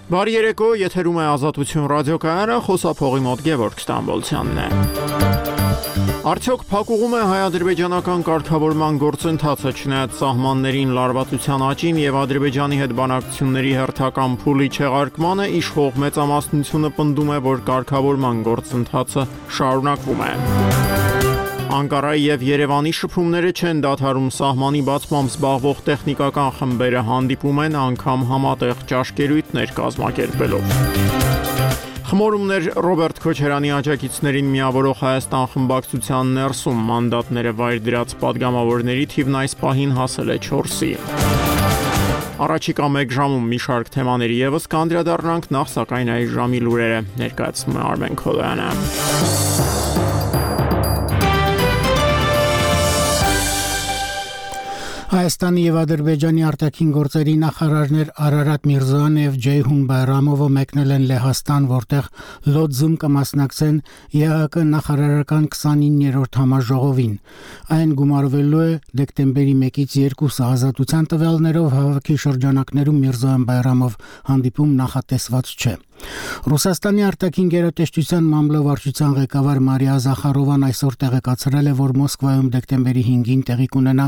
Բարի երեկո, եթերում է Ազատություն ռադիոկայանը, խոսափողի մոտ Գևորգ Ստամբոլցյանն է։ Արդյոք փակուղում է հայ-ադրբեջանական կարգավորման գործընթացը, չնայած սահմաններին լարվածության աճին եւ Ադրբեջանի հետ բանակցությունների հերթական փուլի չեղարկմանը, իշխող մեծամասնությունը պնդում է, որ կարգավորման գործընթացը շարունակվում է։ Անկարայի եւ Երևանի շփումները չեն դադարում, սահմանի բացմամբ զբաղվող տեխնիկական խմբերը հանդիպում են անգամ համատեղ ճաշկերույթներ կազմակերպելով։ Խմորումներ Ռոբերտ Քոչարյանի աջակիցներին միավորող Հայաստան խմբակցության ներսում մանդատները վայր դրած падգամավորների թիվն այս պահին հասել է 4-ի։ Առաջիկա 1 ժամում մի շարք թեմաների եւս կանդրադառնանք, նախ սակայն այս ժամի լուրերը ներկայացնում է Արմեն Քոլոյանը։ Հայաստանի եւ Ադրբեջանի արտաքին գործերի նախարարներ Արարատ Միրզոյանը եւ Ջեյհուն Բայրամովը մեկնել են Լեհաստան, որտեղ Լոձում կմասնակցեն ԵԱՀԿ նախարարական 29-րդ համաժողովին։ Այն գումարվելու է դեկտեմբերի 1-ից 2-ը ազատության տվյալներով հավաքի շրջանակներում Միրզոյան-Բայրամով հանդիպում նախատեսված չէ։ Ռուսաստանի արտաքին գերատեսչության մամլովարչության ղեկավար Մարիա Զախարովան այսօր տեղեկացրել է, որ Մոսկվայում դեկտեմբերի 5-ին տեղի կունենա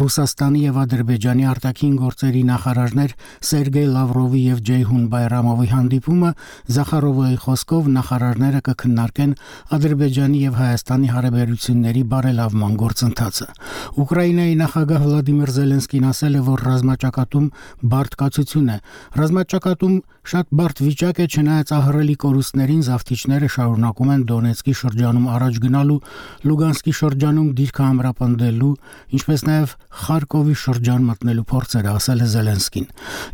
Ռուսաստանի եւ Ադրբեջանի արտաքին գործերի նախարարներ Սերգեյ Լավրովի եւ Ջեյհուն Բայրամովի հանդիպումը։ Զախարովի խոսքով նախարարները կքննարկեն Ադրբեջանի եւ Հայաստանի հարաբերությունների բարելավման գործընթացը։ Ուկրաինայի նախագահ Վլադիմիր Զելենսկին ասել է, որ ռազմաճակատում բարդ կացություն է։ Ռազմաճակատում շատ բարդ վիճակ է, չնայած ահռելի կորուստներին զավթիչները շարունակում են Դոնեցկի շրջանում առաջ գնալու, Լուգանսկի շրջանում դիրքը ամրապնդելու, ինչպես նաև Խարկովի շրջան մտնելու փորձերը, ասել է Զելենսկին։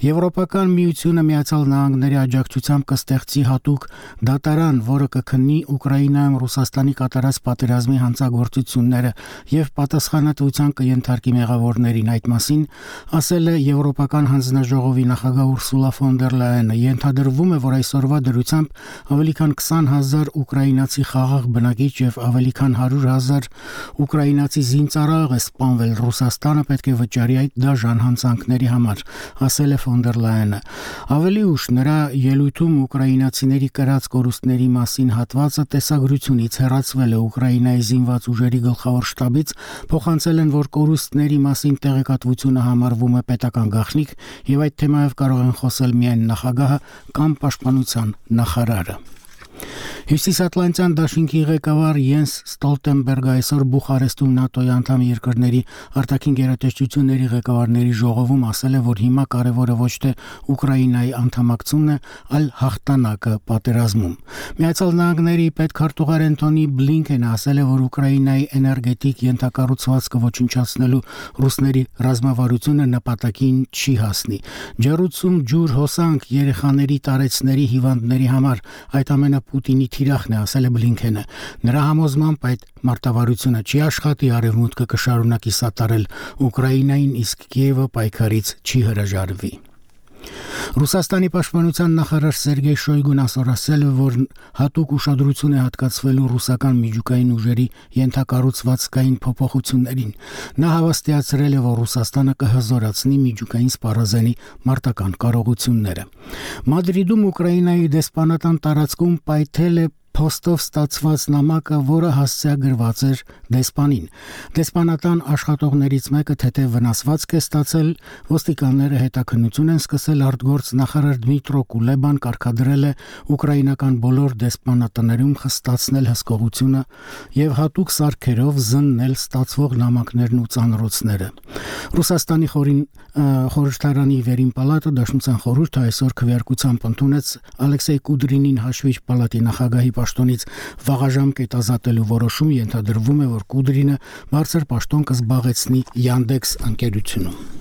Եվրոպական միությունը Միացյալ Նահանգների աջակցությամբ կստեղծի հատուկ դատարան, որը կքննի Ուկրաինայում Ռուսաստանի կատարած պատերազմի հանցագործությունները եւ պատասխանատվության կենթարկի մեղավորներին։ Այդ մասին ասել է Եվրոպական հանձնաժողովի նախագահ Ուրսուլա ֆոն դեր Լայենը։ Ենթադրվում է, որ այսօրվա դրությամբ ավելի քան 20,000 ուկրաինացի խաղաղ բնակիչ եւ ավելի քան 100,000 ուկրաինացի զինծառայող է սպանվել։ Ռուսաստանը պետք է վճարի այդ դաժան հանցանքների համար, ասել է ֆոն դեր Լայենը։ Ավելի ուշ նրա ելույթում ուկրաինացիների կրած կորուստների մասին հատվածը տեսագրությունից հեռացվել է։ Ուկրաինայի զինված ուժերի գլխավոր շտաբից փոխանցել են, որ կորուստների մասին տեղեկատվությունը համարվում է պետական գաղտնիք եւ այդ թեմայով կարող են խոսել միայն նախագահը կամ պաշտպանության նախարարը։ Հյուսիսատլանտյան դաշինքի ղեկավար Յենս Ստոլտենբերգը այսօր Բուխարեստում ՆԱՏՕ-ի անդամ երկրների արտաքին գերատեսչությունների ղեկավարների ժողովում ասել է, որ հիմա կարևորը ոչ թե Ուկրաինայի անդամակցությունն է, այլ հաղթանակը պատերազմում։ Միացյալ Նահանգների պետքարտուղար Անտոնի Բլինքենը ասել է, որ Ուկրաինայի էներգետիկ ենթակառուցվածքը ոչնչացնելու ռուսների ռազմավարությունը նպատակին չի հասնի։ Ջեռուցում, ջուր, հոսանք, երեխաների տարեցների հիվանդների համար այդ ամենը Պուտինի թիրախն է, ասել է Բլինքենը։ Նրա համոզմամբ այդ մարտավարությունը չի աշխատի, արևմուտքը կշարունակի սատարել Ուկրաինային, իսկ Կիևը պայքարից չի հրաժարվի։ Ռուսաստանի պաշտպանության նախարար Սերգեյ Շոյգուն այսօր ասել է, որ հատուկ ուշադրություն է հատկացվելու ռուսական միջուկային ուժերի ենթակառուցվածքային փոփոխություններին։ Նա հավաստիացրել է, որ Ռուսաստանը կհզորացնի միջուկային սպառազենի մարտական կարողությունները։ Մադրիդում Ուկրաինայի դեսպանատան տարածքում պայթել է փոստով ստացված նամակը, որը հասցեագրված էր դեսպանին։ Դեսպանատան աշխատողներից մեկը թեթև վնասվածք է ստացել։ Ոստիկանները հետաքննություն են սկսել, արտգործ նախարար Դմիտրո Կուլեբան կարգադրել է ուկրաինական բոլոր դեսպանատներում խստացնել հսկողությունը եւ հատուկ սարքերով զննել ստացվող նամակներն ու ծանրոցները։ Ռուսաստանի խորհրդարանի վերին պալատը Դաշնության խորհուրդը այսօր քվեարկությամբ ընդունեց Ալեքսեյ Կուդրինին հաշվիչ պալատի նախագահի պաշտոնից վաղաժամկետ ազատելու որոշում։ Ենթադրվում է, որ Կուդրինը բարձր պաշտոն կզբաղեցնի Yandex ընկերությունում։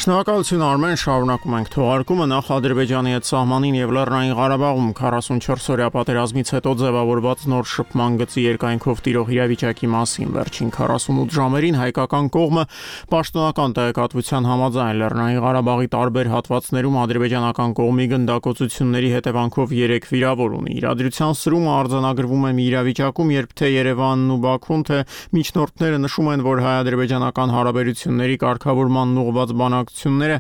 Շնորհակալություն Արմեն, շարունակում ենք թողարկումը նախ Ադրբեջանի հետ սահմանին եւ Լեռնային Ղարաբաղում 44-օրյա պատերազմից հետո ձևավորված նոր շփման գծի երկայնքով տիրող իրավիճակի մասին վերջին 48 ժամերին հայկական կողմը պաշտոնական տեղեկատվության համաձայն Լեռնային Ղարաբաղի տարբեր հատվածներում ադրբեջանական կողմի գնդակոծությունների հետևանքով 3 վիրավոր ունի։ Իրադրության սրումը արձանագրվում է մի իրավիճակում, երբ թե Երևանն ու Բաքուն, թե միջնորդները նշում են, որ հայ-ադրբեջանական հարաբերությունների կարգավորման ուղղված բանակցությունները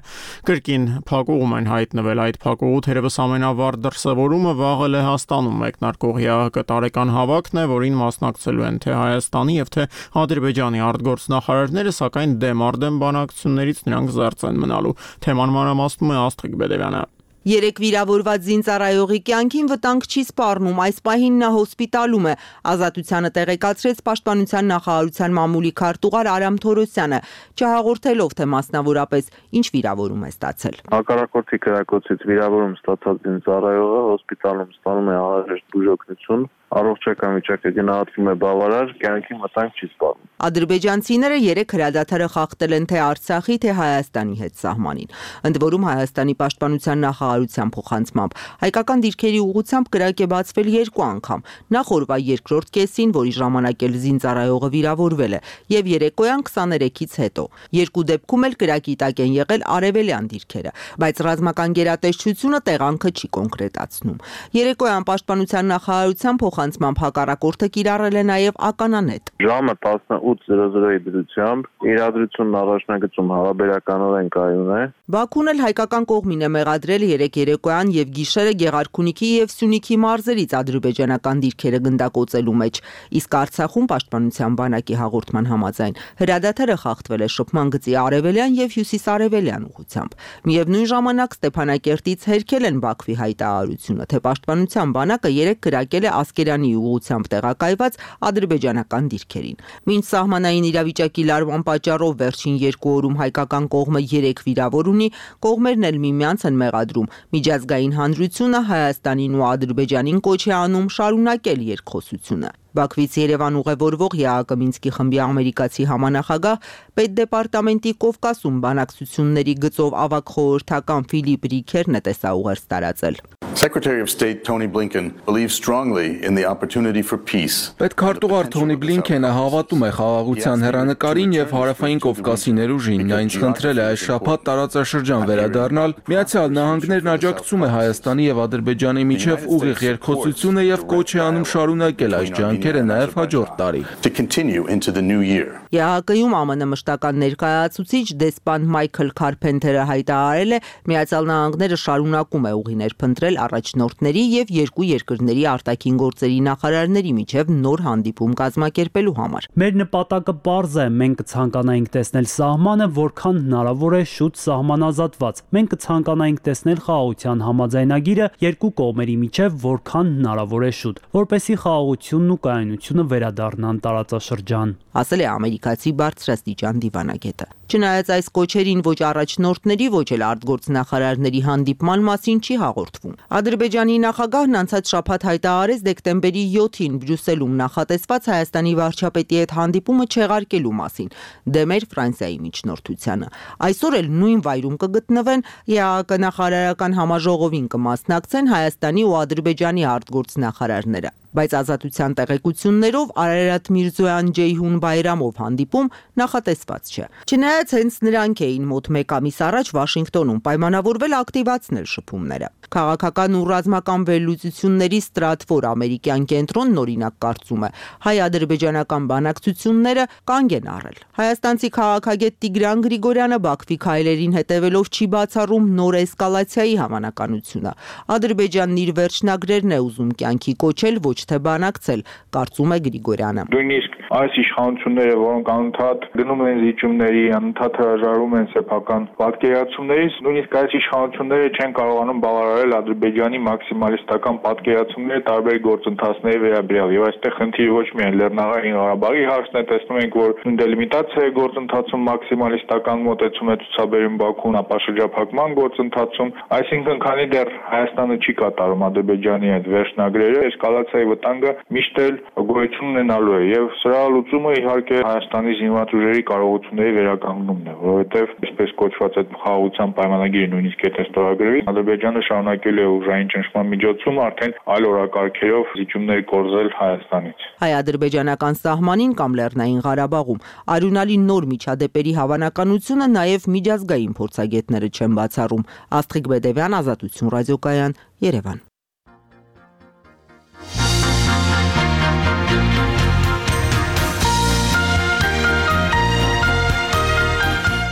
կրկին փակուղում են հայտնվել։ Այդ փակուղու թերևս ամենավառ դրսևորումը վաղը Լեհաստանում մեկնարկող ՀԱՀԿ տարեկան հավաքն է, որին մասնակցելու են թե Հայաստանի եւ թե Ադրբեջանի արտգործնախարարները, սակայն դեմ բանակցություններից նրանք զերծ են մնալու։ Թեման մանրամասնում է Աստղիկ Բեդևյանը։ 3 վիրավորված զինծառայողի կյանքին վտանգ չի սպառնում, այս պահին նա հոսպիտալում է, Ազատությանը տեղեկացրեց Պաշտպանության նախարարության մամուլի քարտուղար Արամ Թորոսյանը, չհաղորդելով, թե մասնավորապես ինչ վիրավորում է ստացել։ Հակառակորդի կրակոցից վիրավորում ստացած զինծառայողը հոսպիտալում ստանում է անհրաժեշտ բուժօգնություն, առողջական վիճակը գնահատվում է բավարար, կյանքին վտանգ չի սպառնում։ Ադրբեջանցիները 3 հրադադարը խախտել են թե Արցախի, թե Հայաստանի հետ սահմանին։ Ընդ որում Հայաստանի պաշտպանության նախարարության փոխանցմամբ հայկական դիրքերի ուղղությամբ կրակ է բացվել 2 անգամ։ Նախ օրվա երկրորդ կեսին, որի ժամանակ էլ զինծառայողը վիրավորվել է, եւ երեկոյան 23-ից հետո։ Երկու դեպքում էլ կրակի տակ են եղել արևելյան դիրքերը, բայց ռազմական գերատեսչությունը տեղանքը չի կոնկրետացնում։ Երեկոյան պաշտպանության նախարարության փոխանցմամբ հակառակորդը կիրառել է նաեւ ականանետ։ Ժամը 18:00-ի դրությամբ իրադրությունն առաջնագծում հարաբերականորեն կայուն է։ Բաքուն էլ հայկական կողմին է մեղադրել 3 երեկոյան եւ գիշերը Գեղարքունիքի եւ Սյունիքի մարզերից ադրբեջանական դիրքերը գնդակոծելու մեջ, իսկ Արցախում պաշտպանության բանակի հաղորդման համաձայն հրադադարը խախտվել է շփման գծի արևելյան եւ հյուսիսարևելյան ուղղությամբ։ Միևնույն ժամանակ Ստեփանակերտից հերքել են Բաքվի հայտարարությունը, թե պաշտպանության բանակը 3 կրակել է Ասկերանի ուղղությամբ տեղակայված ադրբեջանական դիրքերին։ Մինչ սահմանային իրավիճակի լարման պատճառով վերջին 2 օրում հայկական կողմը 3 վիրավոր ունի, կողմերն էլ միմյանց են մեղադրում միջազգային հանրությունը Հայաստանին ու Ադրբեջանին կոչ է անում շարունակել երկխոսությունը։ Բաքվից Երևան ուղևորվող ՀԱՀԿ Մինսկի խմբի ամերիկացի համանախագահ պետդեպարտամենտի Կովկասում բանակցությունների գծով ավագ խորհրդական Ֆիլիպ Ռիքերն է տեսաուղերձ տարածել։ Secretary of State Tony Blinken believes strongly in the opportunity for peace. Պետքարտուղար Թոնի Բլինքենը հավատում է խաղաղության հեռանկարին եւ հարավային Կովկասի ներուժին։ Նա ինձ խնդրել է այս շաբաթ տարածաշրջան վերադառնալ։ Միացյալ Նահանգներն աջակցում է Հայաստանի եւ Ադրբեջանի միջև ուղիղ երկխոսությունը եւ կոչ է անում շարունակել այս ջանքերը նաեւ հաջորդ տարի։ To continue into the new year. ՀԱՀԿ-ում ԱՄՆ մշտական ներկայացուցիչ դեսպան Մայքլ Քարփենթերը հայտարարել է, Միացյալ Նահանգները շարունակում է ուղիներ փնտրել առաջնորդների եւ երկու երկրների արտաքին գործերի նախարարների միջև նոր հանդիպում կազմակերպելու համար։ Մեր նպատակը պարզ է, մենք կցանկանայինք տեսնել սահմանը որքան հնարավոր է շուտ սահմանազատված։ Մենք կցանկանայինք տեսնել խաղաղության համաձայնագիրը երկու կողմերի միջև որքան հնարավոր է շուտ, որպեսզի խաղաղությունն ու կայունությունը վերադառնան տարածաշրջան, ասել է ամերիկացի բարձրաստիճան դիվանագետը։ Չնայած այս կոչերին ոչ առաջնորդների, ոչ էլ արտգործնախարարների հանդիպման մասին չի հաղորդվում։ Ադրբեջանի նախագահն անցած շաբաթ հայտարարեց դեկտեմբերի 7-ին Բրյուսելում նախատեսված Հայաստանի վարչապետի հետ հանդիպումը չեղարկելու մասին, դեմ էր Ֆրանսիայի միջնորդությանը։ Այսօր էլ նույն վայրում կգտնվեն, ՀԱՀԿ նախարարական համաժողովին կմասնակցեն Հայաստանի ու Ադրբեջանի արտգործնախարարները։ Բայց Ազատության տեղեկություններով Արարատ Միրզոյան-Ջեյհուն Բայրամով հանդիպում նախատեսված չէ։ Չնայած հենց նրանք էին մոտ 1 ամիս առաջ Վաշինգտոնում պայմանավորվել ակտիվացնել շփումները։ Քաղաքական ու ռազմական վերլուծությունների Ստրատֆոր ամերիկյան կենտրոնն օրինակ կարծում է, հայ-ադրբեջանական բանակցությունները կանգ են առել։ Հայաստանցի քաղաքագետ Տիգրան Գրիգորյանը Բաքվի քայլերին հետևելով չի բացառում նոր էսկալացիայի հավանականությունը։ Ադրբեջանն իր վերջնագրերն է ուզում կյանքի կոչել, ոչ թե բանակցել, կարծում է Գրիգորյանը։ Նույնիսկ այս իշխանությունները, որոնք անընդհատ գնում են զիջումների, անընդհատ հրաժարվում են սեփական պատկերացումներից, նույնիսկ այս իշխանությունները չեն կարողանում բավարարել Ադրբեջանի մաքսիմալիստական պատկերացումները տարբեր գործընթացների վերաբերյալ։ Եվ այստեղ խնդիրը ոչ միայն Լեռնային Ղարաբաղի հարցն է, տեսնում ենք, որ դելիմիտացիայի գործընթացում մաքսիմալիստական մոտեցում է ցուցաբերում Բաքուն, ապա շրջափակման գործընթացում, այսինքն քանի դեռ Հայաստանը չի կատարում Ադրբեջանի այդ վերջնագրերը, էսկալացիայի վտանգը միշտ էլ գոյություն ունենալու է եւ սրա լուծումը իհարկե Հայաստանի զինված ուժերի կարողությունների վերականգնումն է, որովհետեւ այսպես կոչված այդ խաղաղության պայմանագիրը նույնիսկ եթե ստորագրվի, Ադրբեջանը շարունակել է ուժային ճնշման միջոցում արդեն այլ օրակարգերով զիջումներ կորզել Հայաստանից։ Հայ-ադրբեջանական սահմանին կամ Լեռնային Ղարաբաղում արյունալի նոր միջադեպերի հավանականությունը նաև միջազգային փորձագետները չեն բացառում։ Աստղիկ Բեդևյան, Ազատություն ռադիոկայան, Երևան։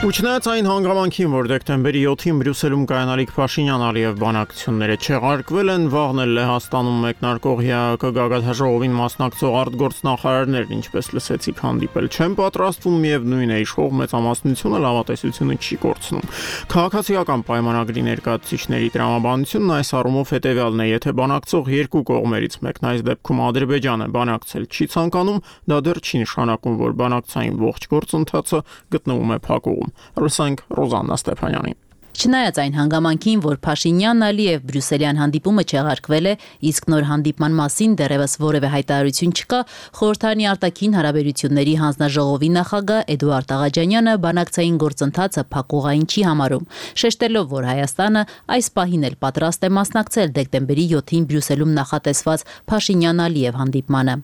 Ու չնայած այն հանգամանքին, որ դեկտեմբերի 7-ին Բրյուսելում կայանալիք Փաշինյան-Ալիև բանակցությունները չեղարկվել են, վաղն էլ Լեհաստանում մեկնարկող ՀԱԿ գագաթնաժողովին մասնակցող արտգործնախարարներն, ինչպես լսեցիք, հանդիպել չեն պատրաստվում, միևնույն է, իշխող մեծամասնությունը լավատեսությունը չի կորցնում։ Քաղաքացիական պայմանագրի ներկայացուցիչների տրամաբանությունն այս առումով հետևյալն է, եթե բանակցող երկու կողմերից մեկն այս դեպքում Ադրբեջանը բանակցել չի ցանկանում, դա դեռ չի նշանակում, որ բանակցային ողջ գործընթացը գտնվում է փակուղում։ Ռուսանք Ռոզաննա Ստեփանյանին։ Չնայած այն հանգամանքին, որ Փաշինյան-Ալիև բրյուսելյան հանդիպումը չեղարկվել է, իսկ նոր հանդիպման մասին դեռևս որևէ հայտարարություն չկա, խորհրդարանի արտաքին հարաբերությունների հանձնաժողովի նախագահ Էդուարդ Աղաջանյանը բանակցային գործընթացը փակուղային չի համարում, շեշտելով, որ Հայաստանը այս պահին էլ պատրաստ է մասնակցել դեկտեմբերի 7-ին Բրյուսելում նախատեսված Փաշինյան-Ալիև հանդիպմանը։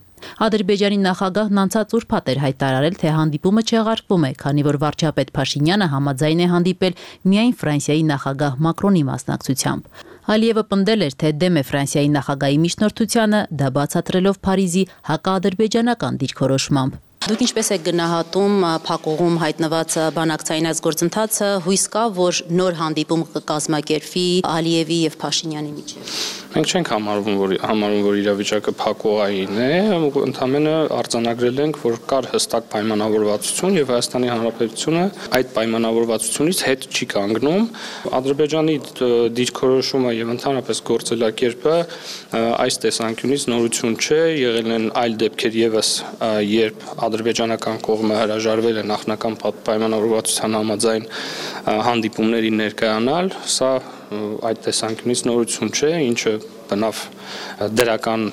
Ադրբեջանի նախագահն անցած ուրբաթ էր հայտարարել, թե հանդիպումը չեղարկվում է, քանի որ վարչապետ Փաշինյանը համաձայն է հանդիպել միայն Ֆրանսիայի նախագահ Մակրոնի մասնակցությամբ։ Ալիևը պնդել էր, թե դեմ է Ֆրանսիայի նախագահի միջնորդությանը, դա բացատրելով Փարիզի հակաադրբեջանական դիրքորոշմամբ։ Դուք ինչպես եք գնահատում փակուղում հայտնված բանակցային այս գործընթացը, հույս կա, որ նոր հանդիպում կկազմակերպվի Ալիևի եւ Փաշինյանի միջեւ։ Մենք չենք համարում, որ իրավիճակը փակուղային է, ընդհանրապես արձանագրել ենք, որ կար հստակ պայմանավորվածություն եւ Հայաստանի Հանրապետությունը այդ պայմանավորվածությունից հետ չի կանգնում։ Ադրբեջանի դիրքորոշումը եւ ընդհանրապես գործելակերպը այս տեսանկյունից նորություն չէ, եղել են այլ դեպքեր եւս, երբ ադրբեջանական կողմը հրաժարվել է նախնական պայմանավորվածության համաձայն հանդիպումների ներկայանալ, սա այդ տեսանկյունից նորություն չէ, ինչը բնավ դրական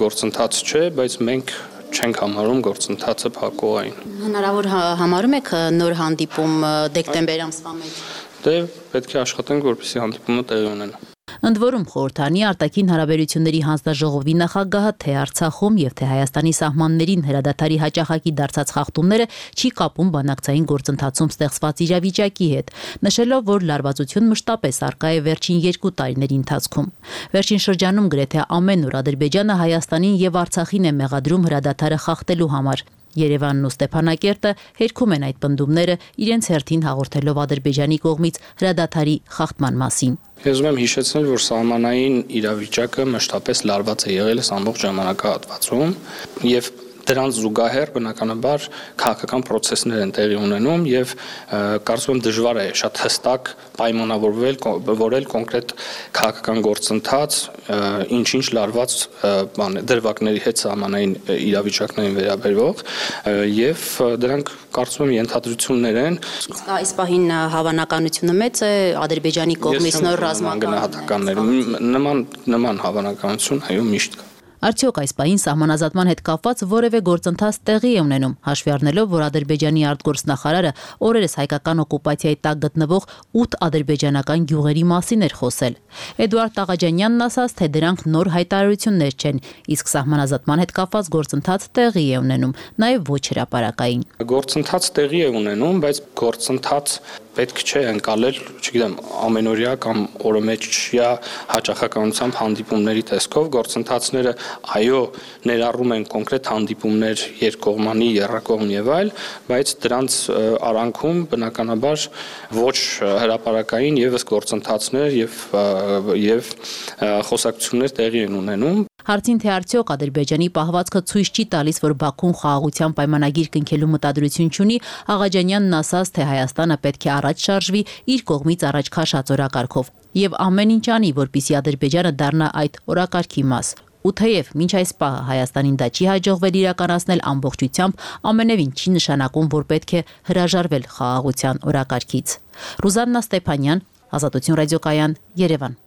գործընթաց չէ, բայց մենք չենք համարում գործընթացը փակուղային։ Հնարավոր համարում եք նոր հանդիպում դեկտեմբեր ամսվա մեջ։ Դե պետք է աշխատենք, որպեսզի հանդիպումը տեղի ունենա։ Ընդ որում խորհրդարանի արտաքին հարաբերությունների հանձնաժողովի նախագահը թե Արցախում եւ թե Հայաստանի սահմաններին հրադադարի հաճախակի դարձած խախտումները չի կապում բանակցային գործընթացում ստեղծված իրավիճակի հետ, նշելով, որ լարվածություն մշտապես արկա է վերջին 2 տարիների ընթացքում։ Վերջին շրջանում գրեթե ամեն օր Ադրբեջանը Հայաստանին եւ Արցախին է մեղադրում հրադադարը խախտելու համար։ Երևանն ու Ստեփանակերտը հերքում են այդ պնդումները, իրենց հերթին հաղորդելով Ադրբեջանի կողմից հրադադարի խախտման մասին։ Ես ուզում եմ հիշեցնել, որ սահմանային իրավիճակը մշտապես լարված է եղել ամբողջ ժամանակահատվածում եւ դրանց զուգահեռ բնականաբար քաղաքական process-ներ են տեղի ունենում եւ կարծում եմ դժվար է շատ հստակ պայմանավորվել կոնկրետ քաղաքական գործընթաց, ինչ լարված դրվագների հետ սահմանային իրավիճակներին վերաբերող եւ դրանք կարծում եմ ենթադրություններ են։ Իսկ այս պահին հավանականությունը մեծ է Ադրբեջանի կողմից նոր ռազմական նման հավանականություն այո միշտ կա։ Արդյոք այս պահին սահմանազատման հետ կապված որևէ գործընթաց տեղի է ունենում, հաշվի առնելով, որ Ադրբեջանի արտգործնախարարը օրերս հայկական օկուպացիայի տակ գտնվող 8 ադրբեջանական գյուղերի մասին էր խոսել։ Էդուարդ Աղաջանյանն ասաց, թե դրանք նոր հայտարարություններ չեն, իսկ սահմանազատման հետ կապված գործընթաց տեղի է ունենում, նաև ոչ հրապարակային։ Գործընթաց տեղի է ունենում, բայց գործընթաց պետք չէ ընկալել, չգիտեմ, ամենօրյա կամ օրոմեջյա հաճախականությամբ հանդիպումների տեսքով գործընթացները այո ներառում են կոնկրետ հանդիպումներ երկկողմանի, եռակողմ եւ այլ, բայց դրանց արանքում բնականաբար ոչ հրապարակային եւս գործընթացներ եւ խոսակցություններ տեղի են ունենում։ Հարցին թե արդյոք Ադրբեջանի պահվածքը ցույց չի տալիս, որ Բաքուն խաղաղության պայմանագիր կնքելու մտադրություն չունի, Աղաջանյանն ասաց, թե Հայաստանը պետք է առաջ շարժվի իր կողմից առաջ քաշած օրակարգով եւ ամեն ինչ անի, որպեսզի Ադրբեջանը դառնա այդ օրակարգի մաս։ Ու թեև մինչ այս պահը Հայաստանին դա չի հաջողվել իրականացնել ամբողջությամբ, ամենևին չի նշանակում, որ պետք է հրաժարվել խաղաղության օրակարգից։ Ռուզաննա Ստեփանյան, Ազատություն ռադիոկայան, Երևան։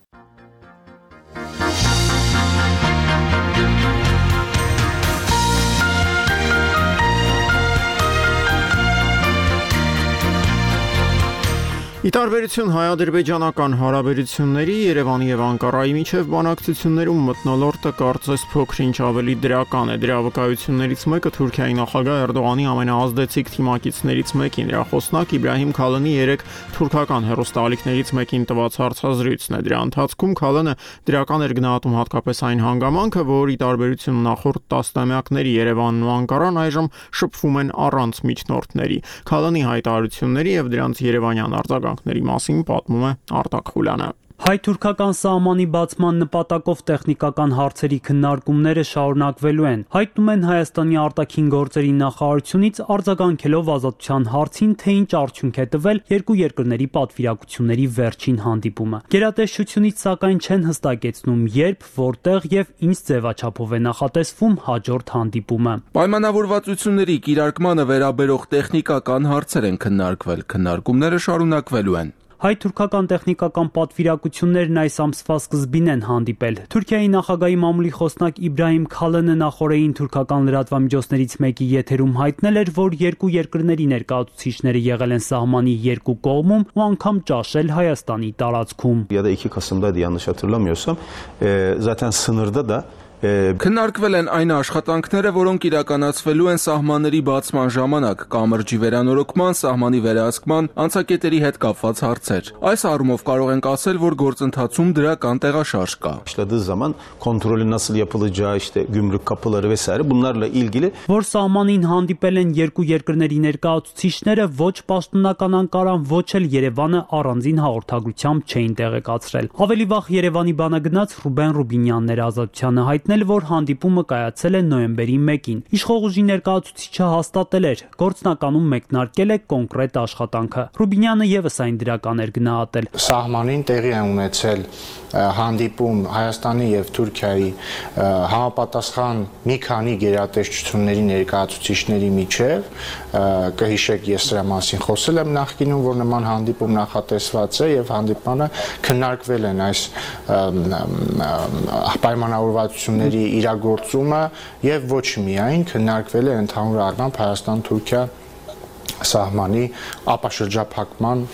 Ի տարբերություն հայ-ադրբեջանական հարաբերությունների Երևանի եւ Անկարայի միջև բանակցություններում մթնոլորտը կարծես փոքր-ինչ ավելի դրական է։ Դրա վկայություններից մեկը Թուրքիայի նախագահ Էրդողանի ամենաազդեցիկ թիմակիցներից մեկին, նրա խոսնակ Իբրահիմ Քալանի 3 թուրքական հեռուստաալիքներից մեկին տված հարցազրույցն է։ Դրա ընթացքում Քալանը դրական էր գնահատում հատկապես այն հանգամանքը, որ ի տարբերություն նախորդ տասնամյակների Երևանն ու Անկարան այժմ շփվում են առանց միջնորդների։ Քալանի հայտարարությունների եւ դրանց երևանյան արձագանքների մասին պատմում է Արտակ Խուլյանը։ Հայ-թուրքական սահմանի բացման նպատակով տեխնիկական հարցերի քննարկումները շարունակվելու են, հայտնում են Հայաստանի արտաքին գործերի նախարարությունից արձագանքելով ազատության հարցին, թե ինչ արդյունք է տվել երկու երկրների պատվիրակությունների վերջին հանդիպումը։ Գերատեսչությունից սակայն չեն հստակեցնում երբ, որտեղ եւ ինչ ձևաչափով է նախատեսվում հաջորդ հանդիպումը։ Պայմանավորվածությունների կիրարկմանը վերաբերող տեխնիկական հարցեր են քննարկվել, քննարկումները շարունակվելու են։ Հայ-թուրքական տեխնիկական պատվիրակություններն այս ամսվա սկզբին են հանդիպել։ Թուրքիայի նախագահի մամուլի խոսնակ Իբրահիմ Քալանը նախորդին թուրքական լրատվամիջոցներից մեկի եթերում հայտնել էր, որ երկու երկրների ներկայացուցիչները եղել են սահմանի երկու կողմում ու անգամ ճաշել Հայաստանի տարածքում։ Քննարկվել են այն աշխատանքները, որոնք իրականացվելու են սահմանների բացման ժամանակ, կամրջի վերանորոգման, սահմանի վերահսկման, անցակետերի հետ կապված հարցեր։ Այս առումով կարող ենք ասել, որ գործընթացում դրական տեղաշարժ կա։ Որ սահմանին հանդիպել են երկու երկրների ներկայացուցիչները, ոչ պաշտոնական Անկարան, ոչ էլ Երևանը առանձին հաղորդագրությամբ չէին տեղեկացրել։ Ավելի վաղ Երևանի բանագնաց Ռուբեն Ռուբինյանն էր Ազատությանը հայտնել, որ հանդիպումը կայացել է նոյեմբերի 1-ին։ Իշխող ուժի ներկայացուցիչը հաստատել էր, գործնականում մեկնարկել է կոնկրետ աշխատանքը։ Ռուբինյանը եւս այն դրական էր գնահատել։ Սահմանին տեղի է ունեցել հանդիպում Հայաստանի եւ Թուրքիայի համապատասխան մի քանի գերատեսչությունների ներկայացուցիչների միջև, կհիշեք, ես դրա մասին խոսել եմ նախկինում, որ նման հանդիպում նախատեսված է եւ հանդիպանը քննարկվել են այս պայմանավորվածությունների իրագործումը եւ ոչ միայն քննարկվել է ընդհանուր առմամբ Հայաստան-Թուրքիա սահմանի ապաշրջափակման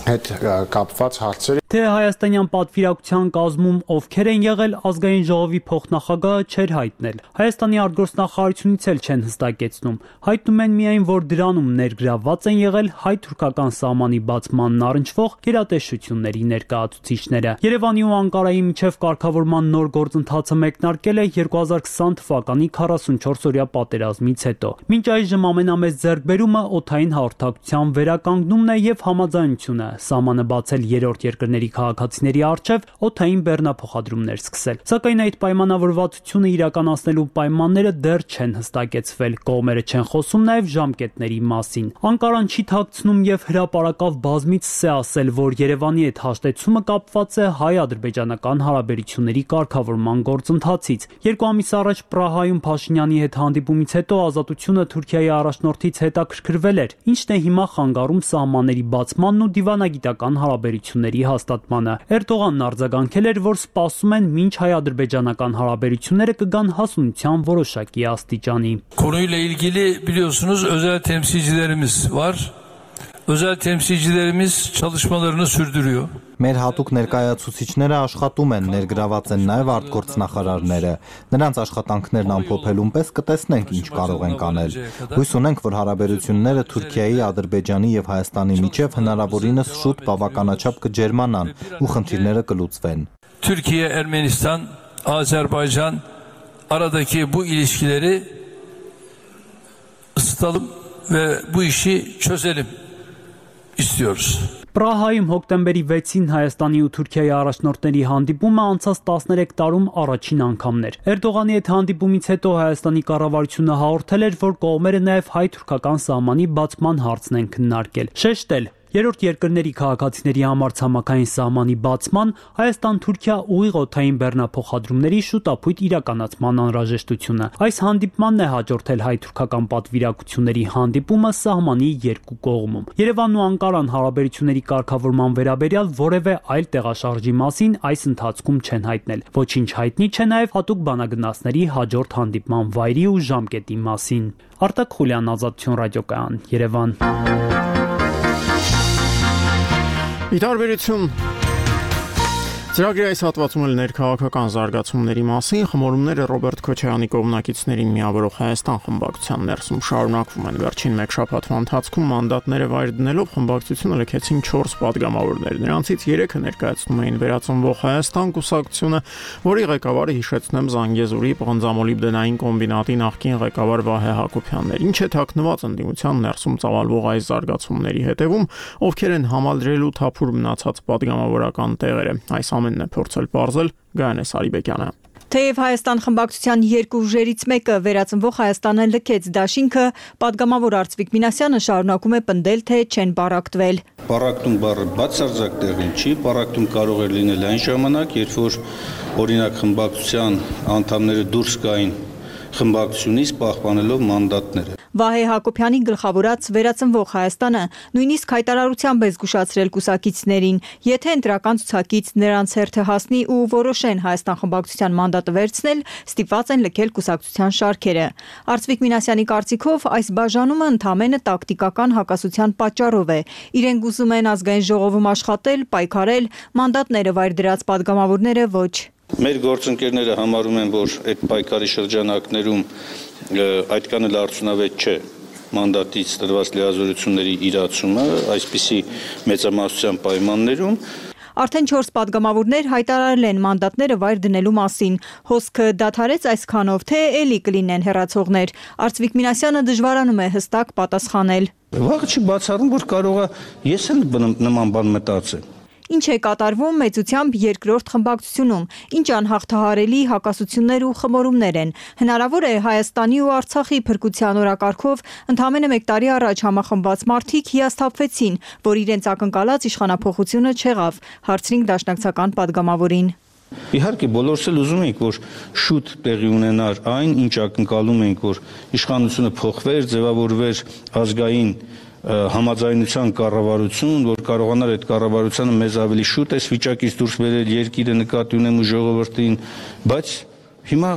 հետ կապված հարցեր։ Թե հայաստանյան պատվիրակության կազմում ովքեր են եղել, ազգային ժողովի փոխնախագահը չէր հայտնել։ Հայաստանի արտգործնախարարությունից էլ չեն հստակեցնում։ Հայտնում են միայն, որ դրանում ներգրավված են եղել հայ-թուրքական սահմանի բացմանն առնչվող գերատեսչությունների ներկայացուցիչները։ Երևանի ու Անկարայի միջև կարգավորման նոր գործընթացը մեկնարկել է 2020 թվականի 44-օրյա պատերազմից հետո։ Մինչ այժմ ամենամեծ ձեռքբերումը օդային հաղորդակցության վերականգնումն է եւ համաձայնությունը սահմանը բացել երրորդ երկրների քաղաքացիների առջև օդային բեռնափոխադրումներ սկսել։ Սակայն այդ պայմանավորվածությունը իրականացնելու պայմանները դեռ չեն հստակեցվել։ Կողմերը չեն խոսում նաև ժամկետների մասին։ Անկարան չի թաքցնում եւ հրապարակավ բազմիցս է ասել, որ Երևանի հետ հաշտեցումը կապված է հայ-ադրբեջանական հարաբերությունների կարգավորման գործընթացից։ 2 ամիս առաջ Պրահայում Փաշինյանի հետ հանդիպումից հետո Ազատությունը Թուրքիայի առաջնորդից հետաքրքրվել էր, ինչն է հիմա խանգարում սահմանների բացմանն ու դիվանագիտական հարաբերությունների հաստատմանը։ Էրդողանն արձագանքել էր, որ սպասում են մինչ հայ-ադրբեջանական հարաբերությունները կգան հասունության որոշակի աստիճանի։ Konuyla ilgili biliyorsunuz özel temsilcilerimiz var. Özel temsilcilerimiz çalışmalarını sürdürüyor. Մեր հատուկ ներկայացուցիչները աշխատում են, ներգրաված են նաև արտգործնախարարները։ Նրանց աշխատանքներն ամփոփելուն պես կտեսնենք ինչ կարող ենք անել։ Հույս ունենք, որ հարաբերությունները Թուրքիայի, Ադրբեջանի եւ Հայաստանի միջև հնարավորինս շուտ բավականաչափ կջերմանան ու խնդիրները կլուծվեն։ Türkiye, Ermenistan, Azerbaycan aradaki bu ilişkileri ısıtalım ve bu işi çözelim istiyoruz. Պրահայում հոկտեմբերի 6-ին Հայաստանի ու Թուրքիայի առաջնորդների հանդիպումը անցած 13 տարում առաջին անգամն էր։ Էրդողանի հետ հանդիպումից հետո Հայաստանի կառավարությունը հաղորդել էր, որ կողմերը նաև հայ-թուրքական սահմանի բացման հարցն են քննարկել։ Շեշտել երրորդ երկրների քաղաքացիների համար ցամաքային սահմանի բացման Հայաստան-Թուրքիա ուղիղ օդային բեռնափոխադրումների շուտապույտ իրականացման անհրաժեշտությունը։ Այս հանդիպմանն է հաջորդել հայ-թուրքական պատվիրակությունների հանդիպումը սահմանի երկու կողմում։ Երևանն ու Անկարան հարաբերությունների կարգավորման վերաբերյալ որևէ այլ տեղաշարժի մասին այս ընթացքում չեն հայտնել։ Ոչինչ հայտնի չէ նաև հատուկ բանագնացների հաջորդ հանդիպման վայրի ու ժամկետի մասին։ Արտակ Խուլյան, Ազատություն ռադիոկայան, Երևան։ Ի տարբերություն Ծրագրի այս հատվածում էլ ներքաղաքական զարգացումների մասին խմորումները Ռոբերտ Քոչարյանի կողմնակիցներին միավորող Հայաստան խմբակցության ներսում շարունակվում են։ Վերջին մեկ շաբաթվա ընթացքում մանդատները վայր դնելով խմբակցությունը լքեցին 4 падգամավորներ։ Նրանցից 3-ը ներկայացնում էին Վերածնվող Հայաստան կուսակցությունը, որի ղեկավարը հիշեցնեմ Զանգեզուրի պղնձամոլիբդենային կոմբինատի նախկին ղեկավար Վահե Հակոբյանն էր։ Ինչ է թաքնված ընդդիմության ներսում ծավալվող այս զարգացումների հետևում, ովքեր են համալրելու թափուր մնացած падգամավորական տեղերը։ Այս ամենն է փորձել պարզել Գայանե Սարիբեկյանը։ Թեև Հայաստան խմբակցության երկու ուժերից մեկը Վերածնվող Հայաստանը լքեց դաշինքը, падգամավոր Արծվիկ Մինասյանը շարունակում է պնդել, թե չեն պարակտվել։ Պարակտում բառը բացարձակ տեղին չի, պարակտում կարող է լինել այն ժամանակ, երբ որ օրինակ խմբակցության անդամները դուրս գային խմբակցությունից պահպանելով մանդատները։ Վահե Հակոբյանի գլխավորած Վերածնվող Հայաստանը նույնիսկ հայտարարությամբ է զգուշացրել կուսակիցներին, եթե ընտրական ցուցակից նրանց հերթը հասնի ու որոշեն Հայաստան խմբակցության մանդատը վերցնել, ստիպված են լքել կուսակցության շարքերը։ Արծվիկ Մինասյանի կարծիքով այս բաժանումը ընդամենը տակտիկական հակասության պատճառով է։ Իրենք ուզում են ազգային ժողովում աշխատել, պայքարել, մանդատները վայր դրած падգամավորները ոչ։ Մեր գործընկերները համարում են, որ այդ պայքարի շրջանակներում այդքան էլ արդյունավետ չէ մանդատից տրված լիազորությունների իրացումը այսպիսի մեծամասնության պայմաններում։ Արդեն 4 падգամավորներ հայտարարել են մանդատները վայր դնելու մասին։ Հոսքը դադարեց այսքանով, թե էլի կլինեն հեռացողներ։ Արծվիկ Մինասյանը դժվարանում է հստակ պատասխանել։ Վաղը չի բացառում, որ կարող է ես էլ նման բան մտածեմ։ Ինչ է կատարվում մեծությամբ երկրորդ խմբակցությունում, ինչ անհաղթահարելի հակասություններ ու խմորումներ են։ Հնարավոր է Հայաստանի ու Արցախի փրկության օրակարգով ընդամենը 1 տարի առաջ համախմբված մարդիկ հիասթափվեցին, որ իրենց ակնկալած իշխանափոխությունը չեղավ, հարցրինք դաշնակցական падգամավորին։ Իհարկե բոլորս էլ ուզում ենք, որ շուտ տեղի ունենար այն, ինչ ակնկալում ենք, որ իշխանությունը փոխվեր, ձևավորվեր ազգային համաձայնության կառավարություն, որ կարողանար այդ կառավարությունը մեզ ավելի շուտ այս վիճակից դուրս բերել, երկիրը նկատի ունեմ ու ժողովրդին, բայց հիմա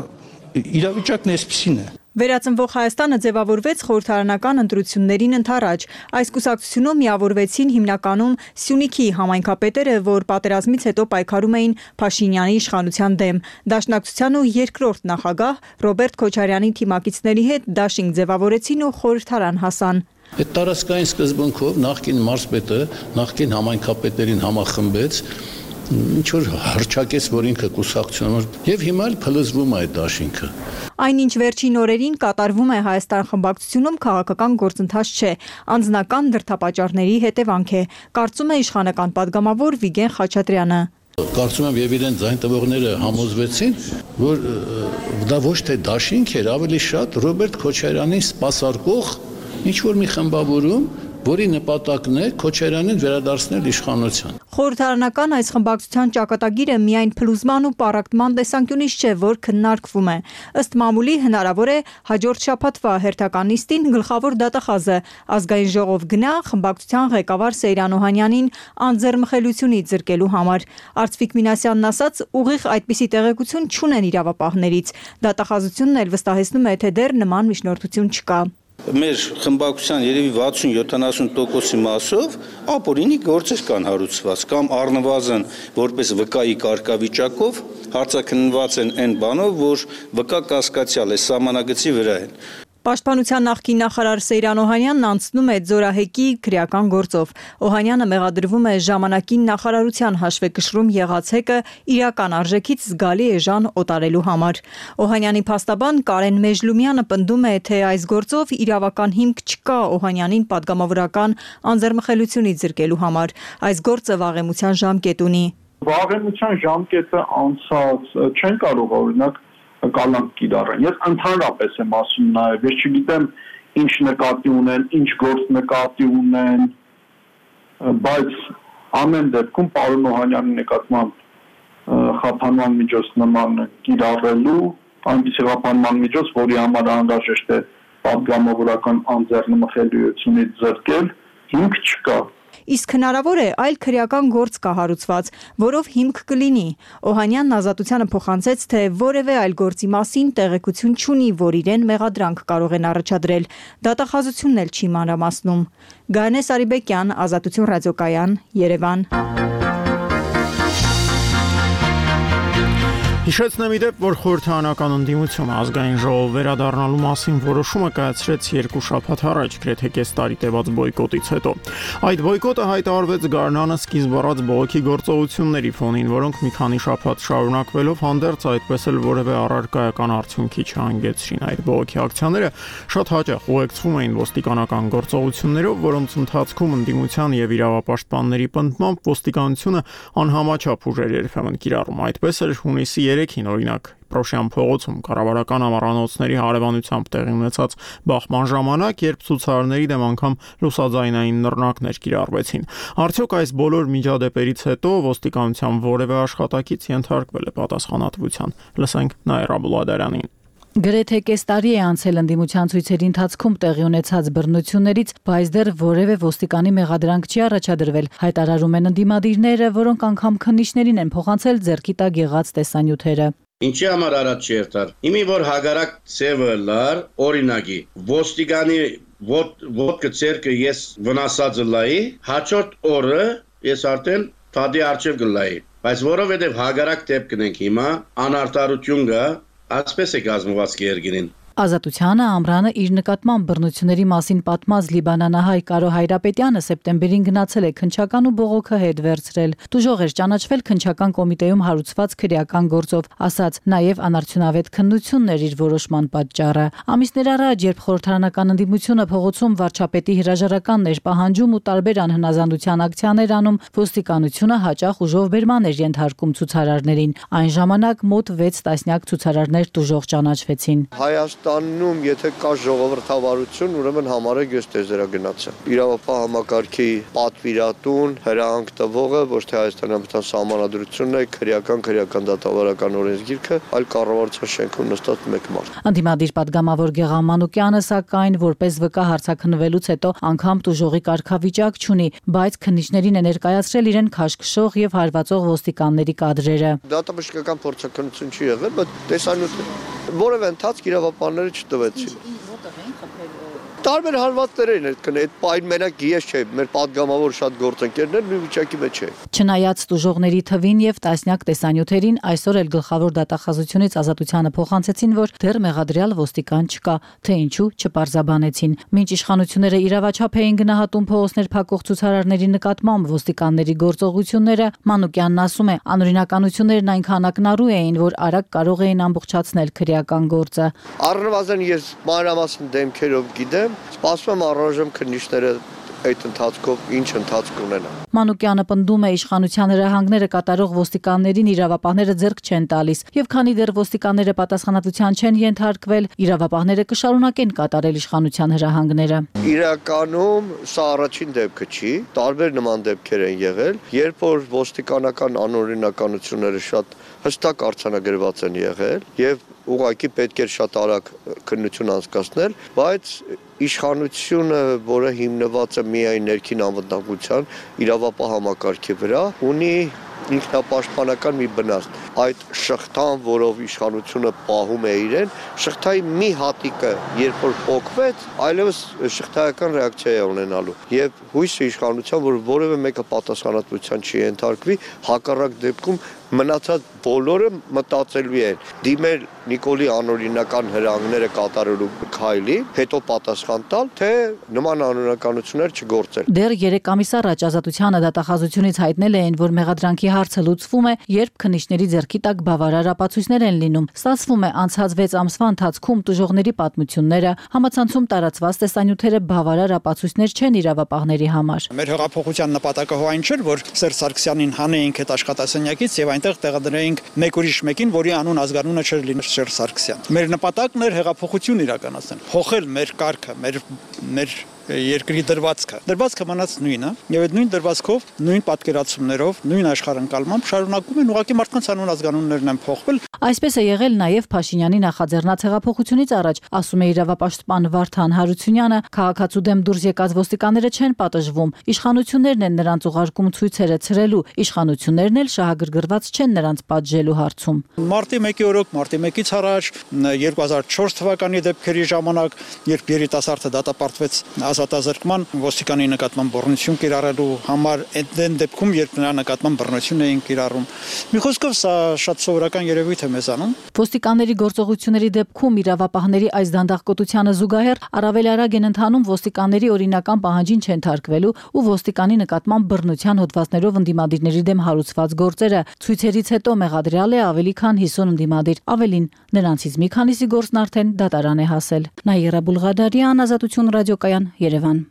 իրավիճակն այսպիսին է։ Վերածնվող Հայաստանը ձևավորվեց խորհրդարանական ընտրություններին ընդառաջ։ Այս կուսակցությունում միավորվեցին հիմնականում Սյունիքի համայնքապետերը, որ պատերազմից հետո պայքարում էին Փաշինյանի իշխանության դեմ։ Դաշնակցության ու երկրորդ նախագահ Ռոբերտ Քոչարյանի թիմակիցների հետ դաշինք ձևավորեցին ու խորհրդարան հասան։ Այդ տարածքային սկզբունքով նախկին մարզպետը նախկին համայնքապետերին համախմբեց, ինչ որ հռչակեց, որ ինքը կուսակցություն եւ հիմա էլ փլզվում է այդ դաշինքը։ Այնինչ վերջին օրերին կատարվում է Հայաստան խմբակցությունում քաղաքական գործընթաց չէ, անձնական դրդապատճառների հետևանք է, կարծում է իշխանական падգամավոր Վիգեն Խաչատրյանը։ Կարծում եմ եւ իրեն ձայն տվողները համոզվեցին, որ դա ոչ թե դաշինք էր, ավելի շատ Ռոբերտ Քոչարյանին սպասարկող ինչ որ մի խմբավորում, որի նպատակն է Քոչարյանին վերադարձնել իշխանության։ Խորհրդարանական այս խմբակցության ճակատագիրը միայն փլուզման ու պարակտման տեսանկյունից չէ, որ քննարկվում է։ Ըստ մամուլի հնարավոր է հաջորդ շաբաթվա հերթական նիստին գլխավոր դատախազը ազգային ժողով գնա խմբակցության ղեկավար Սեյրան Օհանյանին անձեռմխելությունից զրկելու համար։ Արծվիկ Մինասյանն ասաց, ուղիղ այդպիսի տեղեկություն չունեն իրավապահներից։ Դատախազությունն էլ վստահեցնում է, թե դեռ նման միջնորդություն չկա։ Մեր խմբակցության երևի 60-70%-ի մասով ապօրինի գործեր կան հարուցված կամ առնվազն որպես վկայի կարգավիճակով հարցաքննված են այն բանով, որ վկա կասկածյալ է, սահմանագծի վրա են։ Պաշտպանության նախկին նախարար Սեյրան Օհանյանն անցնում է Ձորահեկի քրեական գործով։ Օհանյանը մեղադրվում է ժամանակին նախարարության հաշվեկշռում եղած հեկը իրական արժեքից զգալի էժան օտարելու համար։ Օհանյանի փաստաբան Կարեն Մեժլումյանը պնդում է, թե այս գործով իրավական հիմք չկա Օհանյանին падգամավորական անձեռմխելությունից զրկելու համար։ Այս գործը վաղեմության ժամկետ ունի։ Վաղեմության ժամկետը անցած չեն կարող օրինակ կալանք կիրառեն։ Ես ընդհանրապես եմ ասում նաև, ես չգիտեմ ինչ նկատի ունեն, ինչ գործ նկատի ունեն, բայց ամեն դեպքում պարոն Օհանյանի նկատմամբ խափանման միջոց նման կիրառելու, այնպիսի խափանման միջոց, որի համար անհրաժեշտ է падգամավորական անձեռնմխելիությունից զրկել, հիմք չկա։ իսկ հնարավոր է այլ քրեական գործ կա հարուցված, որով հիմք կլինի։ Օհանյանն Ազատությանը փոխանցեց, թե որևէ այլ գործի մասին տեղեկություն չունի, որ իրեն մեղադրանք կարող են առաջադրել։ Դատախազությունն էլ չի մանրամասնում։ Գայանե Սարիբեկյան, Ազատություն ռադիոկայան, Երևան։ Հիշեցնեմ իդեպ, որ խորհրդարանական ընդդիմությունը ազգային ժողով վերադառնալու մասին որոշումը կայացրեց 2 շաբաթ առաջ, գրեթե կես տարի տևած բոյկոտից հետո։ Այդ բոյկոտը հայտարարվեց գարնանը սկիզբ առած բողոքի գործողությունների ֆոնին, որոնք մի քանի շաբաթ շարունակվելով հանդերձ այդպես էլ որևէ առարկայական արդյունքի չհանգեցրին։ Այդ բողոքի ակցիաները շատ հաճախ ուղեկցվում էին ոստիկանական գործողություններով, որոնց ընթացքում ընդդիմության եւ իրավապաշտպանների պնդմամբ ոստիկանությունը անհամաչափ ուժեր երբեմն կիրառում։ Այդպես էլ հունիսի 3-ին օրինակ Պրոշյան փողոցում կառավարական ամառանոցների հարևանությամբ տեղի ունեցած բախման ժամանակ, երբ ցուցարարների դեմ անգամ լուսաձայնային նռնակներ կիրառվեցին։ Արդյոք այս բոլոր միջադեպերից հետո ոստիկանության որևէ աշխատակից ենթարկվել է պատասխանատվության։ Լսենք Նաիրա Բուլադարյանին։ Գրեթե կես տարի է անցել ընդդիմության ցույցերի ընթացքում տեղի ունեցած բռնություններից, բայց դեռ որևէ ոստիկանի մեղադրանք չի առաջադրվել, հայտարարում են ընդդիմադիրները, որոնք անգամ քննիչներին են փոխանցել ձեռքի տակ եղած տեսանյութերը։ Ինչի համար առաջ չերտար։ Իմի որ հագարակ ծևը լար, օրինակի, ոստիկանի ոտքը ցերկը ես վնասածը լայի, հաջորդ օրը ես արդեն թադի արչև գլայի։ Բայց որովհետև հագարակ դեպքն ենք հիմա, անարտարություն կա, ասպես է կազմված կերգինին։ Ազատությանը ամռանը իր նկատմամբ բռնությունների մասին պատմած լիբանանահայ Կարո Հայրապետյանը սեպտեմբերին գնացել է քննչական ու բողոքը հետ վերցրել։ Դժոխ էր ճանաչվել քննչական կոմիտեում հարուցված քրեական գործով, ասաց նաև անարդյունավետ քննությունն էր իր որոշման պատճառը։ Ամիսներ առաջ, երբ խորհրդարանական ընդդիմությունը փողոցում վարչապետի հրաժարականն էր պահանջում ու տարբեր անհնազանդության ակցիաներ անում, ոստիկանությունը հաճախ ուժով բերման էր ենթարկում ցուցարարներին։ Այն ժամանակ մոտ 6 տասնյակ ցուցարարներ դժոխ ճանաչվեցին։ Հայաստանում, եթե կա ժողովրդավարություն, ուրեմն համարեք ես տեզերագնացը։ Իրավապահ համակարգի պատվիրատուն, հրահանգ տվողը ոչ թե Հայաստանյան Սահմանադրությունն է, քրեական դատավարական օրենսգիրքը, այլ կառավարության շենքում նստած մեկ մարդ։ Ընդդիմադիր պատգամավոր Գեղամ Մանուկյանը, սակայն, որպես վկա հարցաքննվելուց հետո անգամ տուժողի կարգավիճակ չունի, բայց քննիչներին է ներկայացրել իրեն քաշքշող եւ հարվածող ոստիկանների կադրերը։ Դատաբժշկական փորձաքննություն չի եղել, բայց տեսանյութ որևէ ընթացք իրավապահները չտվեցին։ Տարբեր հարվածներ են այդ պայն մենակ ես չէ, մեր պատգամավոր շատ գործընկերներ նույն վիճակի մեջ է։ Չնայած տուժողների թվին եւ տասնյակ տեսանյութերին, այսօր էլ գլխավոր դատախազությունից Ազատությանը փոխանցեցին, որ դեռ մեղադրյալ ոստիկան չկա, թե ինչու չպարզաբանեցին։ Մինչ իշխանությունները իրավաչափ էին գնահատում փողոցներ փակող ցուցարարների նկատմամբ ոստիկանների գործողությունները, Մանուկյանն ասում է, անօրինականություններն այնքան ակնառու էին, որ արագ կարող էին ամբողջացնել քրեական գործը։ Առնվազն ես մանրամասն դեմքերով գիտեմ, սպասում եմ առայժմ քննիչները այդ ընթացքով ինչ ընթացք ունենա։ Մանուկյանը պնդում է իշխանության հրահանգները կատարող ոստիկաններին իրավապահները ձեռք չեն տալիս, եւ քանի դեռ ոստիկանները պատասխանատվության չեն ենթարկվել, իրավապահները կշարունակեն կատարել իշխանության հրահանգները։ Իրականում սա առաջին դեպքը չի, տարբեր նման դեպքեր են եղել, երբ որ ոստիկանական անօրինականությունները շատ հստակ արձանագրված են եղել եւ ուղղակի պետք է շատ արագ քննություն անցկացնել, բայց իշխանությունը, որը հիմնված է միայն ներքին անվտանգության իրավապահ համակարգի վրա, ունի ինքնապաշտպանական մի բնաստ։ Այդ շղթան, որով իշխանությունը պահում է իրեն, շղթայի մի հատիկը, երբ որ փոկվեց, այլևս շղթայական ռեակցիա է ունենալու։ Եվ հույսը իշխանության, որ որևէ մեկը պատասխանատվության չի ենթարկվի, հակառակ դեպքում մնացած բոլորը մտածելու են դիմել Նիկոլի անօրինական հրահանգները կատարելու քայլի, հետո պատասխան տալ, թե նման անօրինականություններ չգործել։ Դեռ 3 ամիս առաջ Ազատությանը դատախազությունից հայտնել էին, որ մեղադրանքի հարցը լուծվում է, երբ քննիչների ձեռքի տակ բավարար ապացույցներ են լինում։ Ստացվում է, անցած 6 ամսվա ընթացքում տուժողների պատմությունները, համացանցում տարածված տեսանյութերը բավարար ապացույցներ չեն իրավապահների համար։ Մեր հեղափոխության նպատակը այն չէր, որ Սերժ Սարգսյանին հանեինք այդ աշխատասենյակից եւ այնտեղ տեղադրեինք մեկ ուրիշ մեկին, որի անուն ազգանունը չէր լինի Սերժ Սարգսյան։ Մեր նպատակն էր հեղափոխություն իրականացնել, փոխել մեր կարգը, մեր երկրի դրվածքը։ Դրվածքը մնաց նույնը, եւ այդ նույն դրվածքով, նույն պատկերացումներով, նույն աշխարհընկալմամբ շարունակում են ուղղակի մարդկանց անուն ազգանուններն են փոխվել։ Այսպես է եղել նաև Փաշինյանի նախաձեռնած հեղափոխությունից առաջ, ասում է իրավապաշտպան Վարդան Հարությունյանը, քաղաքացու դեմ դուրս եկած ոստիկանները չեն պատժվում, իշխանություններն են նրանց ուղարկում ցույցերը ցրելու, իշխանություններն էլ շահագրգռված չեն նրանց պատժելու հարցում։ Մարտի 1-ի օրոք, մարտի 1-ից առաջ 2004 թվականի դեպքերի ժամանակ, երբ երիտասարդը դատապարտվեց ազատազրկման, ոստիկանի նկատմամբ բռնություն կիրառելու համար, այդ դեպքում երբ նրա նկատմամբ բռնություն էին կիրառում։ Մի խոսքով սա շատ սովորական երևույթ է մեզանում։ Ոստիկանների գործողությունների դեպքում իրավապահների այս դանդաղկոտությանը զուգահեռ առավել արագ են ընթանում ոստիկանների օրինական պահանջին չընթարկվելու ու ոստիկանի նկատմամբ բռնության հոդվածներով ընդդիմադիրների դեմ հարուցված գործերը։ Ցույցերից հետո մեղադրյալ է ավելի քան 50 ընդդիմադիր, ավելին նրանցից մի քանիսի գործն արդեն դատարան է հասել։ Նաիրա Բուլղադարյան, Ազատություն ռադիոկայան, Երևան։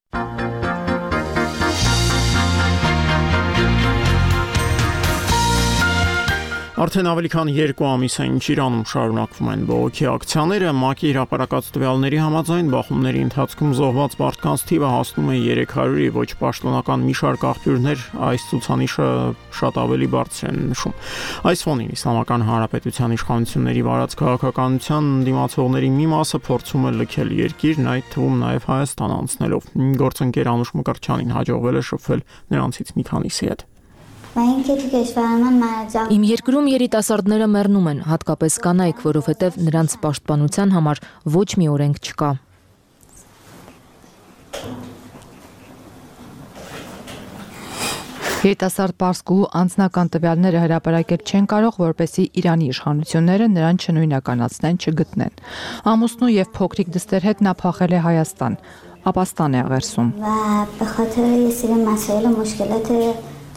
Արդեն ավելի քան 2 ամիս է ինչ Իրանում շարունակվում են բողոքի ակցիաները, ՄԱԿ-ի հրապարակած տվյալների համաձայն բախումների ընթացքում զոհված մարդկանց թիվը հասնում է 300-ի, ոչ պաշտոնական մի շարք աղբյուրներ այս ցուցանիշը շատ ավելի բարձր են նշում։ Այս ֆոնին Իսլամական Հանրապետության իշխանությունների վարած քաղաքականության դիմացողների մի մասը փորձում է լքել երկիրն, այդ թվում նաև Հայաստան անցնելով։ Գործընկեր Անուշ Մկրտչյանին հաջողվել է շփվել նրանցից մի քանիսի հետ։ Իմ երկրում երիտասարդները մեռնում են, հատկապես կանայք, որովհետև նրանց պաշտպանության համար ոչ մի օրենք չկա։ Երիտասարդ պարսկուհու անձնական տվյալները հրապարակել չեն կարող, որպեսզի Իրանի իշխանությունները նրան չնույնականացնեն, չգտնեն։ Ամուսնու եւ փոքրիկ դստեր հետ նա փախել է Հայաստան, ապաստան է աղերսում։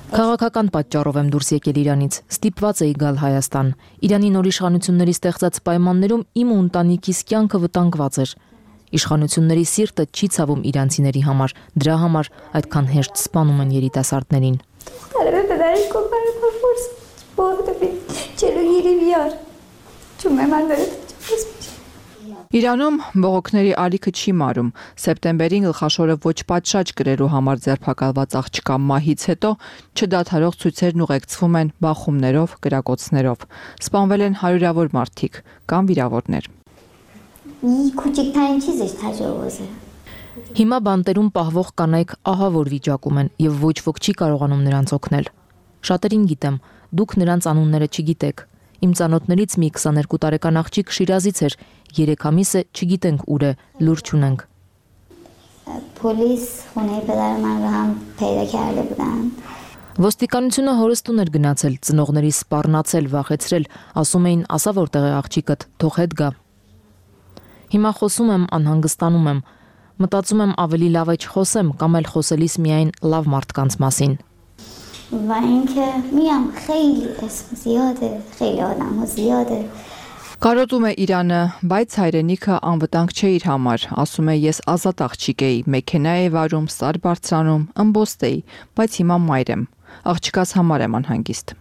Քաղաքական պատճառով եմ դուրս եկել Իրանից, ստիպված էի գալ Հայաստան։ Իրանի նոր իշխանությունների ստեղծած պայմաններում իմ ու ընտանիքիս կյանքը վտանգված էր։ Իշխանությունների սիրտը չի ցավում իրանցիների համար, դրա համար այդքան հեշտ սպանում են երիտասարդներին։ Իրանում բողոքների ալիքը չի մարում։ Սեպտեմբերին գլխաշորը ոչ պատշաճ կրելու համար ձերբակալված աղջկա մահից հետո չդադարող ցույցերն ուղեկցվում են բախումներով, կրակոցներով։ Սպանվել են հարյուրավոր մարդիկ կամ վիրավորներ։ Հիմա բանտերում պահվող կանայք ահավոր վիճակում են եւ ոչ ոք չի կարողանում նրանց օգնել։ Շատերին գիտեմ, դուք նրանց անունները չգիտեք։ Իմ ծանոթներից մի 22 տարեկան աղջիկ Շիրազից էր, 3 ամիս է չգիտենք ուր է, լուր չունենք։ Ոստիկանությունը հորս տուն էր գնացել, ծնողների սպառնացել, վախեցրել, ասում էին, ասա որտեղ է աղջիկդ, թող հետ գա։ Հիմա խոսում եմ, անհանգստանում եմ, մտածում եմ ավելի լավ է չխոսեմ կամ էլ խոսելիս միայն լավ մարդկանց մասին։ و اینکه میگم خیلی اسم زیاده خیلی آدم ها زیاده Կարոտում է Իրանը, բայց հայրենիքը անվտանգ չէ իր համար, ասում է ես ազատ աղջիկ էի, մեքենա էի վարում, սար բարձրանում, ըմբոստ էի, բայց հիմա մայր եմ, աղջկաս համար եմ անհանգիստ։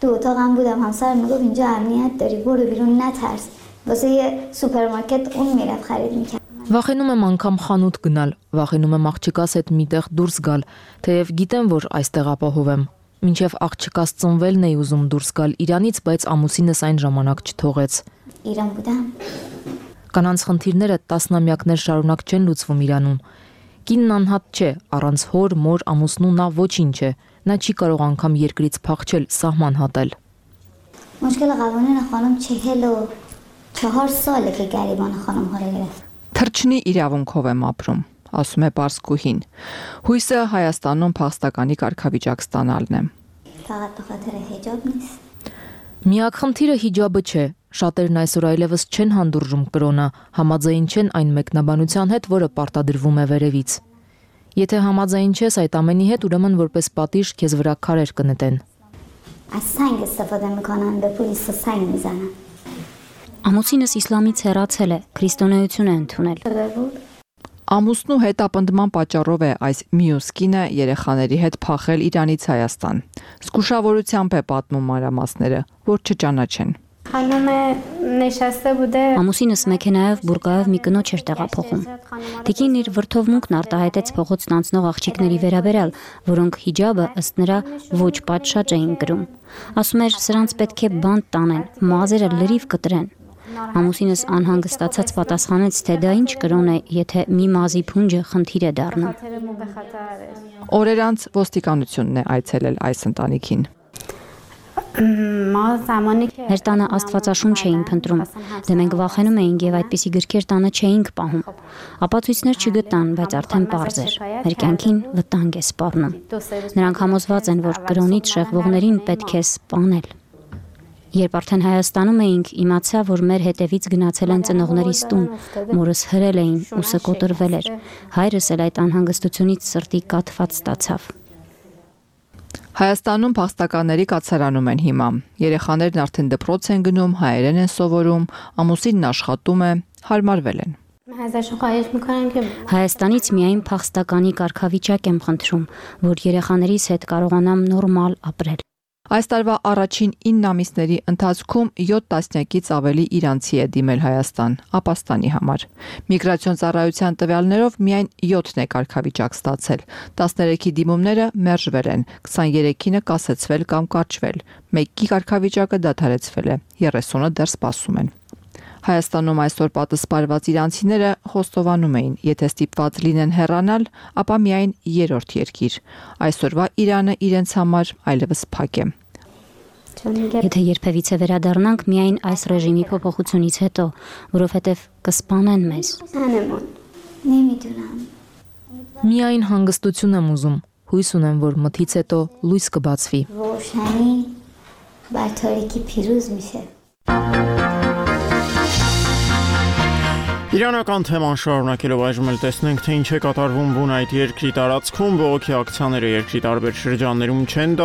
تو اتاقم بودم همسرم میگفت اینجا امنیت داری برو بیرون نترس واسه یه سوپرمارکت اون میرفت خرید میکرد Վախենում եմ անգամ խանութ գնալ, վախենում եմ աղջկաս հետ միտեղ դուրս գալ, թեև գիտեմ, որ այստեղ ապահովեմ։ Մինչև աղջկաս ծնվելն էի ուզում դուրս գալ Իրանից, բայց ամուսինս այն ժամանակ չթողեց։ Իրան բուդամ։ Կանանց խնդիրները տասնամյակներ շարունակ չեն լուծվում Իրանում։ Կինն անհատ չէ, առանց հոր, մոր, ամուսնու նա ոչինչ է։ Նա չի կարող անգամ երկրից փախչել, սահման հատել։ مشکل قوانین خانم 44 ساله که گریبان خانم ها رو گرفت Թրջնի իրավունքով եմ ապրում, ասում է Պարսկուհին։ Հույսը Հայաստանում փախստականի կարգավիճակ ստանալն է։ فقط به خاطر حجاب نیست Միակ խնդիրը հիջաբը չէ։ Շատերն այսօր այլևս չեն հանդուրժում կրոնը, համաձայն չեն այն մեկնաբանության հետ, որը պարտադրվում է վերևից։ Եթե համաձայն չես այդ ամենի հետ, ուրեմն որպես պատիժ քեզ վրա քարեր կնետեն։ از سنگ استفاده میکنن به پلیس سنگ میزنن Ամուսինս իսլամից հեռացել է, քրիստոնեություն է ընդունել։ Ամուսնու հետապնդման պատճառով է այս մյուս կինը երեխաների հետ փախել Իրանից Հայաստան։ Զգուշավորությամբ է պատմում մանրամասները, որ չճանաչեն։ Ամուսինս մեքենայով բուրգայով մի կնոջ էր տեղափոխում։ Տիկին իր վրդովմունքն արտահայտեց փողոցն անցնող աղջիկների վերաբերյալ, որոնք հիջաբը ըստ նրա ոչ պատշաճ էին կրում։ Ասում էր, սրանց պետք է բանտ տանեն, մազերը լրիվ կտրեն։ Ամուսինս անհանգստացած պատասխանեց, թե դա ինչ կրոն է, եթե մի մազի փունջը խնդիր է դառնում։ Օրեր անց ոստիկանությունն է այցելել այս ընտանիքին։ Մեր տանը աստվածաշունչ էին փնտրում, դե մենք վախենում էինք եւ այդպիսի գրքեր տանը չէինք պահում։ Ապացույցներ չգտան, բայց արդեն պարզ էր։ Մեր կյանքին վտանգ է սպառնում։ Նրանք համոզված են, որ կրոնից շեղվողներին պետք է սպանել։ Երբ արդեն Հայաստանում էինք, իմացա, որ մեր հետևից գնացել են ծնողներիս տուն, մորս հրել էին, ուսը կոտրվել էր։ Հայրս էլ այդ անհանգստությունից սրտի կաթված ստացավ։ Հայաստանում փախստականների կացարանում են հիմա։ Երեխաներն արդեն դպրոց են գնում, հայերեն են սովորում, ամուսինն աշխատում է, հարմարվել են։ Հայաստանից միայն փախստականի կարգավիճակ եմ խնդրում, որ երեխաներիս հետ կարողանամ նորմալ ապրել։ Այս տարվա առաջին 9 ամիսների ընթացքում 7 տասնյակից ավելի իրանցի է դիմել Հայաստան, ապաստանի համար։ Միգրացիոն ծառայության տվյալներով միայն 7-ն է կարգավիճակ ստացել, 13-ի դիմումները մերժվել են, 23-ը կասեցվել կամ կարճվել, 1-ի կարգավիճակը դադարեցվել է, 30-ը դեռ սպասում են։ Հայաստանում այսօր պատասպարված իրանցիները խոստովանում էին, եթե ստիպված լինեն հեռանալ, ապա միայն 3-րդ երկիր։ Այսօրվա Իրանը իրենց համար այլևս փակ է։ Եթե երբևիցե վերադառնանք միայն այս ռեժիմի փոփոխությունից հետո, որովհետև կսպանեն մեզ։ Միայն հանգստություն եմ ուզում, հույս ունեմ, որ մթից հետո լույս կբացվի։ Իրանական թեման շարունակելով այժմ էլ տեսնենք, թե ինչ է կատարվում բուն այդ երկրի տարածքում, բողոքի ակցիաները երկրի տարբեր շրջաններում չեն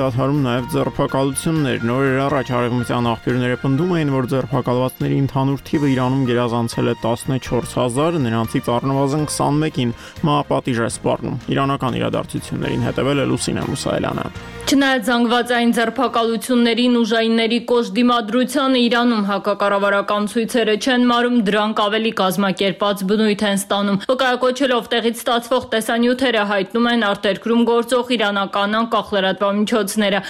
դադարում նաև ձերբակալություններ։ Նորեր առաջ արևմտյան աղբյուրները պնդում էին, որ ձերբակալվածների ընդհանուր թիվը Իրանում գերազանցել է 14,000, նրանցից առնվազն 21-ին մահապատիժ է սպառնում։ Իրանական իրադարձություններին հետևել է Լուսինե Մուսայելյանը։ Չնայած զանգվածային ձերբակալություններին, ուժայինների կոշտ դիմադրությանը Իրանում հակակառավարական ցույցերը չեն մարում, դրանք ավելի կազմակերպված բնույթ են ստանում։ Վկայակոչելով տեղից ստացվող տեսանյութերը հայտնում են արտերկրում գործող իրանական անկախ լրատվամիջոցները։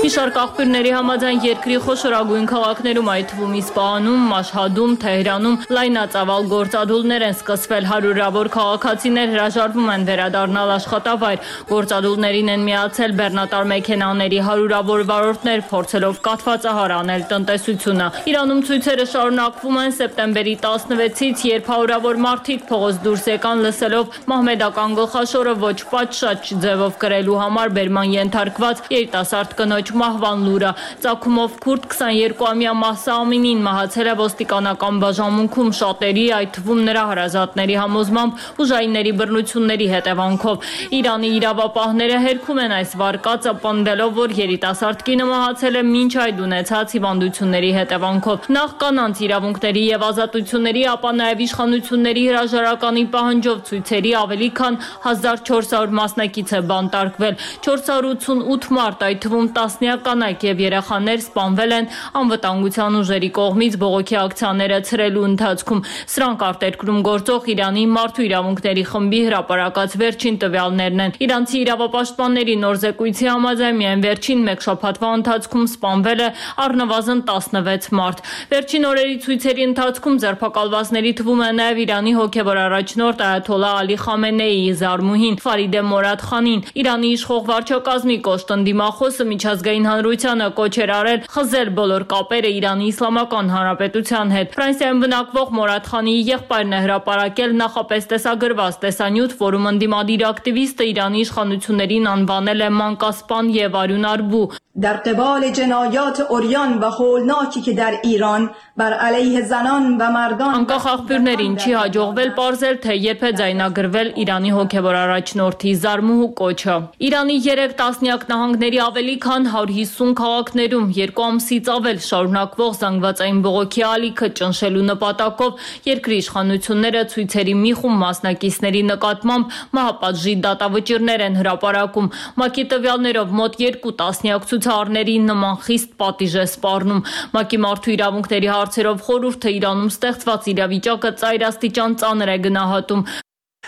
Մի շարք աղբյուրների համաձայն երկրի խոշորագույն քաղաքներում, այդ թվում Իսպահանում, Մաշհադում, Թեհրանում լայնածավալ գործադուլներ են սկսվել, հարյուրավոր քաղաքացիներ հրաժարվում են վերադառնալ աշխատավայր։ Գործադուլներին են միացել բեռնատար մեքենաների հարյուրավոր վարորդներ, փորձելով կաթվածահար անել տնտեսությունը։ Իրանում ցույցերը շարունակվում են սեպտեմբերի 16-ից, երբ հարյուրավոր մարդիկ փողոց դուրս եկան լսելով մահմեդական գլխաշորը ոչ պատշաճ ձևով կրելու համար բերման ենթարկված երիտասարդ կնոջ մահվան լուրը։ Ծագումով քուրդ 22-ամյա Մահսա Ամինին մահացել է ոստիկանական բաժանմունքում շատերի, այդ թվում նրա հարազատների համոզմամբ ուժայինների բռնությունների հետևանքով։ Իրանի իրավապահները հերքում են այս վարկածը, պնդելով, որ երիտասարդ կինը մահացել է մինչ այդ ունեցած հիվանդությունների հետևանքով։ Նախ կանանց իրավունքների եւ ազատությունների, ապա նաեւ իշխանությունների հրաժարականի պահանջով ցույցերի ավելի քան 1400 մասնակից է բանտարկվել։ 488 մարդ, այդ թվում տասնյակ կանայք եւ երեխաներ սպանվել են անվտանգության ուժերի կողմից բողոքի ակցիաները ցրելու ընթացքում։ Սրանք արտերկրում գործող Իրանի մարդու իրավունքների խմբի հրապարակած վերջին տվյալներն են։ Իրանցի իրավապաշտպանների նոր զեկույցի համաձայն միայն վերջին մեկ շաբաթվա ընթացքում սպանվել է առնվազն 16 մարդ։ Վերջին օրերի ցույցերի ընթացքում ձերբակալվածների թվում է նաեւ Իրանի հոգեվոր առաջնորդ այաթոլլա Ալի Խամենեիի զարմուհին Ֆարիդե Մորադ Խանին։ Իրանի իշխող վարչակազմի կոշտ ընդդիմախոսը միջազգային հանրությանը կոչ էր արել խզել բոլոր կապերը Իրանի Իսլամական Հանրապետության հետ։ Ֆրանսիայում բնակվող Մորադ Խանիի եղբայրն է հրապարակել նախապես տեսագրված տեսանյութ, որում ընդդիմադիր ակտիվիստը Իրանի իշխանություններին անվանել է մանկասպան եւ արյունարբու։ در قبال جنایات عریان و هولناکی که در ایران بر علیه زنان و مردان Անկախ աղբյուրներին չի հաջողվել պարզել, թե երբ է ձայնագրվել Իրանի հոգևոր առաջնորդի զարմուհու կոչը։ Իրանի 3 տասնյակ նահանգների ավելի քան 100 150 քաղաքներում 2 ամսից ավել շարունակվող զանգվածային բողոքի ալիքը ճնշելու նպատակով երկրի իշխանությունները ցույցերի մի խումբ մասնակիցների նկատմամբ մահապատժի դատավճիռներ են հրապարակում։ ՄԱԿ-ի տվյալներով մոտ 2 տասնյակ ցուցարարների նման խիստ պատիժ է սպառնում։ ՄԱԿ-ի մարդու իրավունքների հարցերով խորհուրդը Իրանում ստեղծված իրավիճակը ծայրաստիճան ծանր է գնահատում։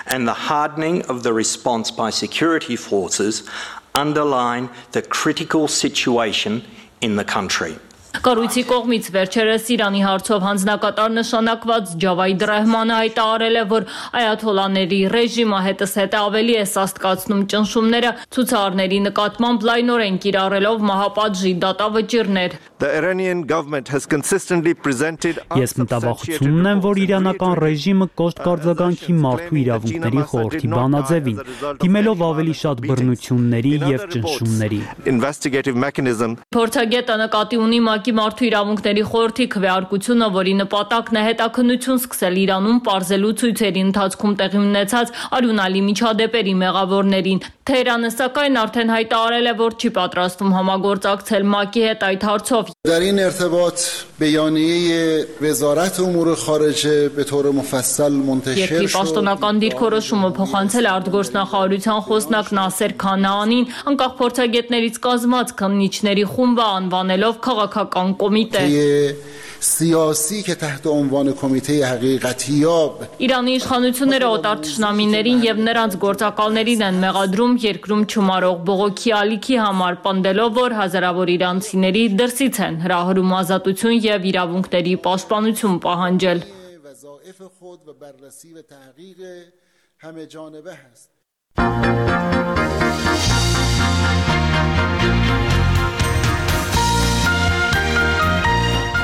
And the hardening of the response by security forces underline the critical situation in the country. Կառույցի կողմից վերջերս Իրանի հարցով հանձնակատար նշանակված Ջավայդ Ռահմանը հայտարարել է, որ այաթոլաների ռեժիմը հետզհետե ավելի է սաստկացնում ճնշումները ցուցարարների նկատմամբ լայնորեն կիրառելով մահապատժի դատավճիռներ։ Ես մտավախություն ունեմ, որ իրանական ռեժիմը կոշտ կարձագանքի մարդու իրավունքների խորհրդի բանաձևին, դիմելով ավելի շատ բռնությունների և ճնշումների։ Փորձագետը նկատի ունի ՄԱԿ-ի մարդու իրավունքների խորհրդի քվեարկությունը, որի նպատակն է հետաքննություն սկսել Իրանում պարզելու ցույցերի ընթացքում տեղի ունեցած արյունալի միջադեպերի մեղավորներին։ Թեհրանը սակայն արդեն հայտարարել է, որ չի պատրաստվում համագործակցել ՄԱԿ-ի հետ այդ հարցով։ در این ارتباط بیانیه وزارت امور خارجه به طور مفصل منتشر شد. Երկրի պաշտոնական դիրքորոշումը փոխանցել է արտգործնախարարության խոսնակ Նասեր Քանաանին, անկախ փորձագետներից կազմած քննիչների խումբը անվանելով քաղաքական կոմիտե։ سیاسی که تحت عنوان کمیته حقیقتیاب Իրանի իշխանությունները օտար թշնամիներին եւ նրանց գործակալներին են մեղադրում երկրում չմարող բողոքի ալիքի համար, պնդելով, որ հազարավոր իրանցիների դրսից են հրահրում ազատություն եւ իրավունքների պաշտպանություն պահանջել։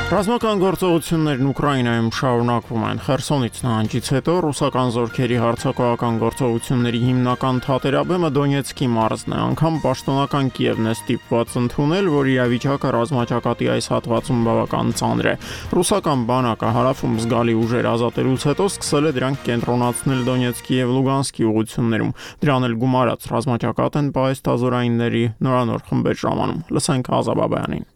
Ռազմական գործողություններն Ուկրաինայում շարունակվում են։ Խերսոնից նահանջից հետո ռուսական զորքերի հարձակողական գործողությունների հիմնական թատերաբեմը Դոնեցկի մարզն է, անգամ պաշտոնական Կիևն է ստիպված ընդունել, որ իրավիճակը ռազմաճակատի այս հատվածում բավական ծանր է։ Ռուսական բանակը հարավում զգալի ուժեր ազատելուց հետո սկսել է դրանք կենտրոնացնել Դոնեցկի եւ Լուգանսկի ուղություններում։ Դրան էլ գումարած ռազմաճակատ են պահեստազորայինների նորանոր խմբեր ժամանում։ Լսենք Ազաբաբյանին։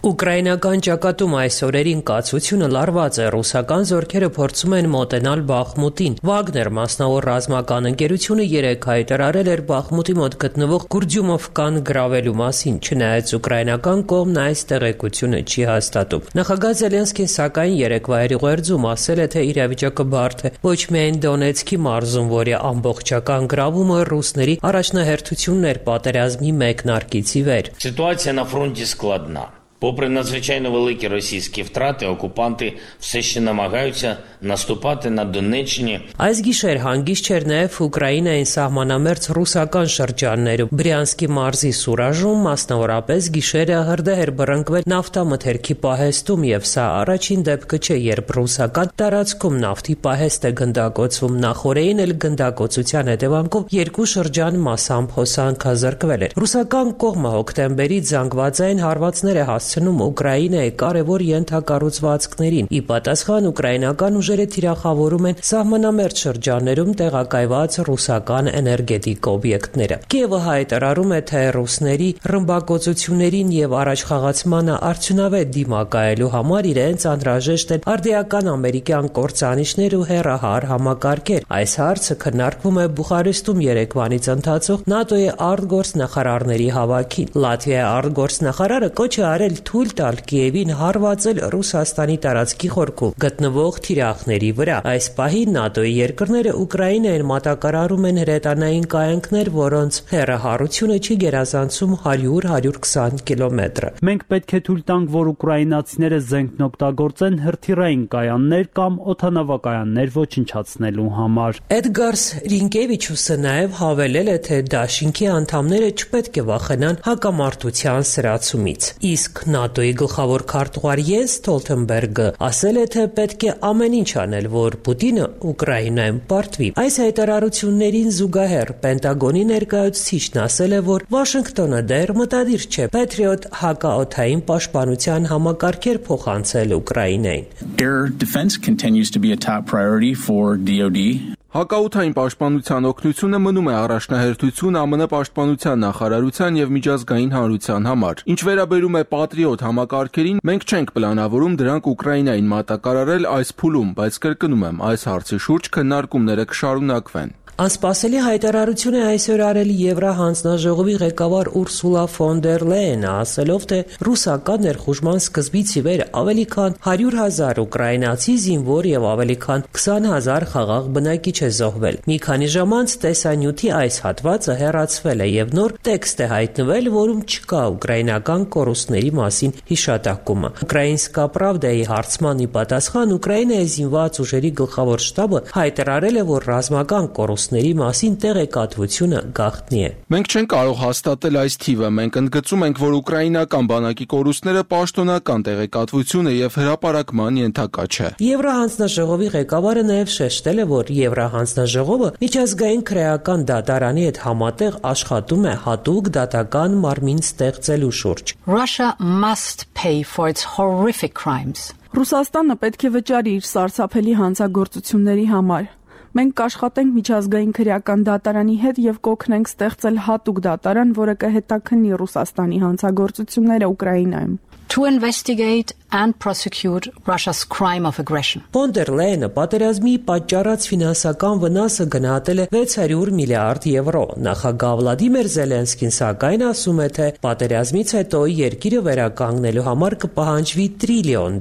Ուկրաինական ճակատում այս օրերին կացությունը լարված է, ռուսական զորքերը փորձում են մոտենալ Բախմուտին։ Վագներ մասնավոր ռազմական ընկերությունը երեկ հայտարարել էր Բախմուտի մոտ գտնվող Գուրջումովկան գրավելու մասին, չնայած ուկրաինական կողմն այս տեղեկությունը չի հաստատում։ Նախագահ Զելենսկին սակայն երեկվա հերիղերձում ասել է, թե իրավիճակը բարդ է ոչ միայն Դոնեցկի մարզում, որի ամբողջական գրավումը ռուսների առաջնահերթությունն էր պատերազմի մեկնարկից ի վեր։ Ситуація на фронті складна. Попри надзвичайно великі російські втрати, окупанти все ще намагаються наступати на Донеччині. Այս գիշեր հանգիստ չէր նաև Ուկրաինային սահմանամերձ ռուսական շրջաններում։ Բրյանսկի մարզի Սուրաժում մասնավորապես գիշերը հրդեհ էր բռնկվել նավթամթերքի պահեստում, եւ սա առաջին դեպքը չէ, երբ ռուսական տարածքում նավթի պահեստ է գնդակոծվում։ Նախորդին էլ գնդակոծության հետևանքով երկու շրջան մասամբ հոսանքազրկվել էր։ Ռուսական կողմը հոկտեմբերից զանգվածային հարվածներ է հասցնում Ուկրաինայի կարևոր ենթակառուցվածքներին։ Ի պատասխան ուկրաինական ուժերը թիրախավորում են սահմանամերձ շրջաններում տեղակայված ռուսական էներգետիկ օբյեկտները։ Կիևը հայտարարում է, թե ռուսների ռմբակոծություններին եւ առաջխաղացմանը արդյունավետ դիմակայելու համար իրենց անհրաժեշտ են արդիական ամերիկյան կործանիչներ ու հեռահար համակարգեր։ Այս հարցը քննարկվում է Բուխարեստում երեկվանից ընթացող ՆԱՏՕ-ի արտգործնախարարների հավաքին։ Լատվիայի արտգործնախարարը կոչ է արել թույլ տալ Կիևին հարվածել Ռուսաստանի տարածքի խորքում գտնվող թիրախների վրա։ Այս պահին ՆԱՏՕ-ի երկրները Ուկրաինային մատակարարում են հրետանային կայանքներ, որոնց հեռահարությունը չի գերազանցում 100-120 կիլոմետր։ Մենք պետք է թույլ տանք, որ ուկրաինացիները զենքն օգտագործեն հրթիռային կայաններ կամ օդանավակայաններ ոչնչացնելու համար։ Էդգարս Ռինկևիչուսը նաև հավելել է, թե դաշինքի անդամները չպետք է վախենան հակամարտության սրացումից։ Իսկ ՆԱՏՕ-ի գլխավոր քարտուղար Յենս Ստոլթենբերգը ասել է, թե պետք է ամեն ինչ անել, որ Պուտինը Ուկրաինայում պարտվի։ Այս հայտարարություններին զուգահեռ Պենտագոնի ներկայացուցիչն ասել է, որ Վաշինգտոնը դեռ մտադիր չէ Patriot հակաօդային պաշտպանության համակարգեր փոխանցել Ուկրաինային։ Air defense continues to be a top priority for DoD. Հակաօդային պաշտպանության օգնությունը մնում է առաջնահերթություն ԱՄՆ պաշտպանության նախարարության եւ միջազգային հանրության համար։ Ինչ վերաբերում է Patriot համակարգերին, մենք չենք պլանավորում դրանք Ուկրաինային մատակարարել այս փուլում, բայց կրկնում եմ, այս հարցի շուրջ քննարկումները կշարունակվեն։ Անսպասելի հայտարարություն է այսօր արել Եվրահանձնաժողովի ղեկավար Ուրսուլա ֆոն դեր Լեյենը, ասելով, թե ռուսական ներխուժման սկզբից ի վեր ավելի քան 100,000 ուկրաինացի զինվոր եւ ավելի քան 20,000 խաղաղ բնակիչ է զոհվել։ Մի քանի ժամ անց տեսանյութի այս հատվածը հեռացվել է եւ նոր տեքստ է հայտնվել, որում չկա ուկրաինական կորուստների մասին հիշատակումը։ Ուկրաինսկա Պրավդայի հարցմանի պատասխան Ուկրաինայի զինված ուժերի գլխավոր շտաբը հայտարարել է, որ ռազմական կորուստների մասին տեղեկատվությունը գաղտնի է։ Մենք չենք կարող հաստատել այս թիվը, մենք ընդգծում ենք, որ ուկրաինական բանակի կորուստները պաշտոնական տեղեկատվություն է եւ հրապարակման ենթակա չէ։ Եվրահանձնաժողովի ղեկավարը նաեւ շեշտել է, որ Եվրահանձնաժողովը միջազգային քրեական դատարանի հետ համատեղ աշխատում է հատուկ դատական մարմին ստեղծելու շուրջ։ Russia must pay for its horrific crimes. Ռուսաստանը պետք է վճարի իր սարսափելի հանցագործությունների համար։ Մենք կաշխատենք միջազգային քրեական դատարանի հետ եւ կօգնենք ստեղծել հատուկ դատարան, որը կհետաքննի Ռուսաստանի հանցագործությունները Ուկրաինայում։ To investigate and prosecute Russia's crime of aggression. Ֆոն դեր Լեյենը պատերազմի պատճառած ֆինանսական վնասը գնահատել է 600 միլիարդ եվրո։ Նախագահ Վլադիմիր Զելենսկին սակայն ասում է, թե պատերազմից հետո երկիրը վերականգնելու համար կպահանջվի $1 տրիլիոն։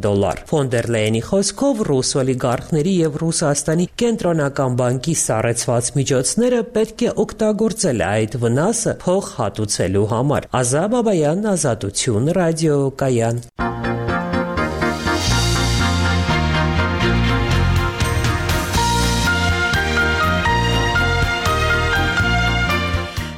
Ֆոն դեր Լեյենի խոսքով ռուս օլիգարխների եւ Ռուսաստանի կենտրոնական բանկի սառեցված միջոցները պետք է օգտագործել այդ վնասը փոխհատուցելու համար։ Ազատ Բաբայան, Ազատություն, ռադիո Կայան։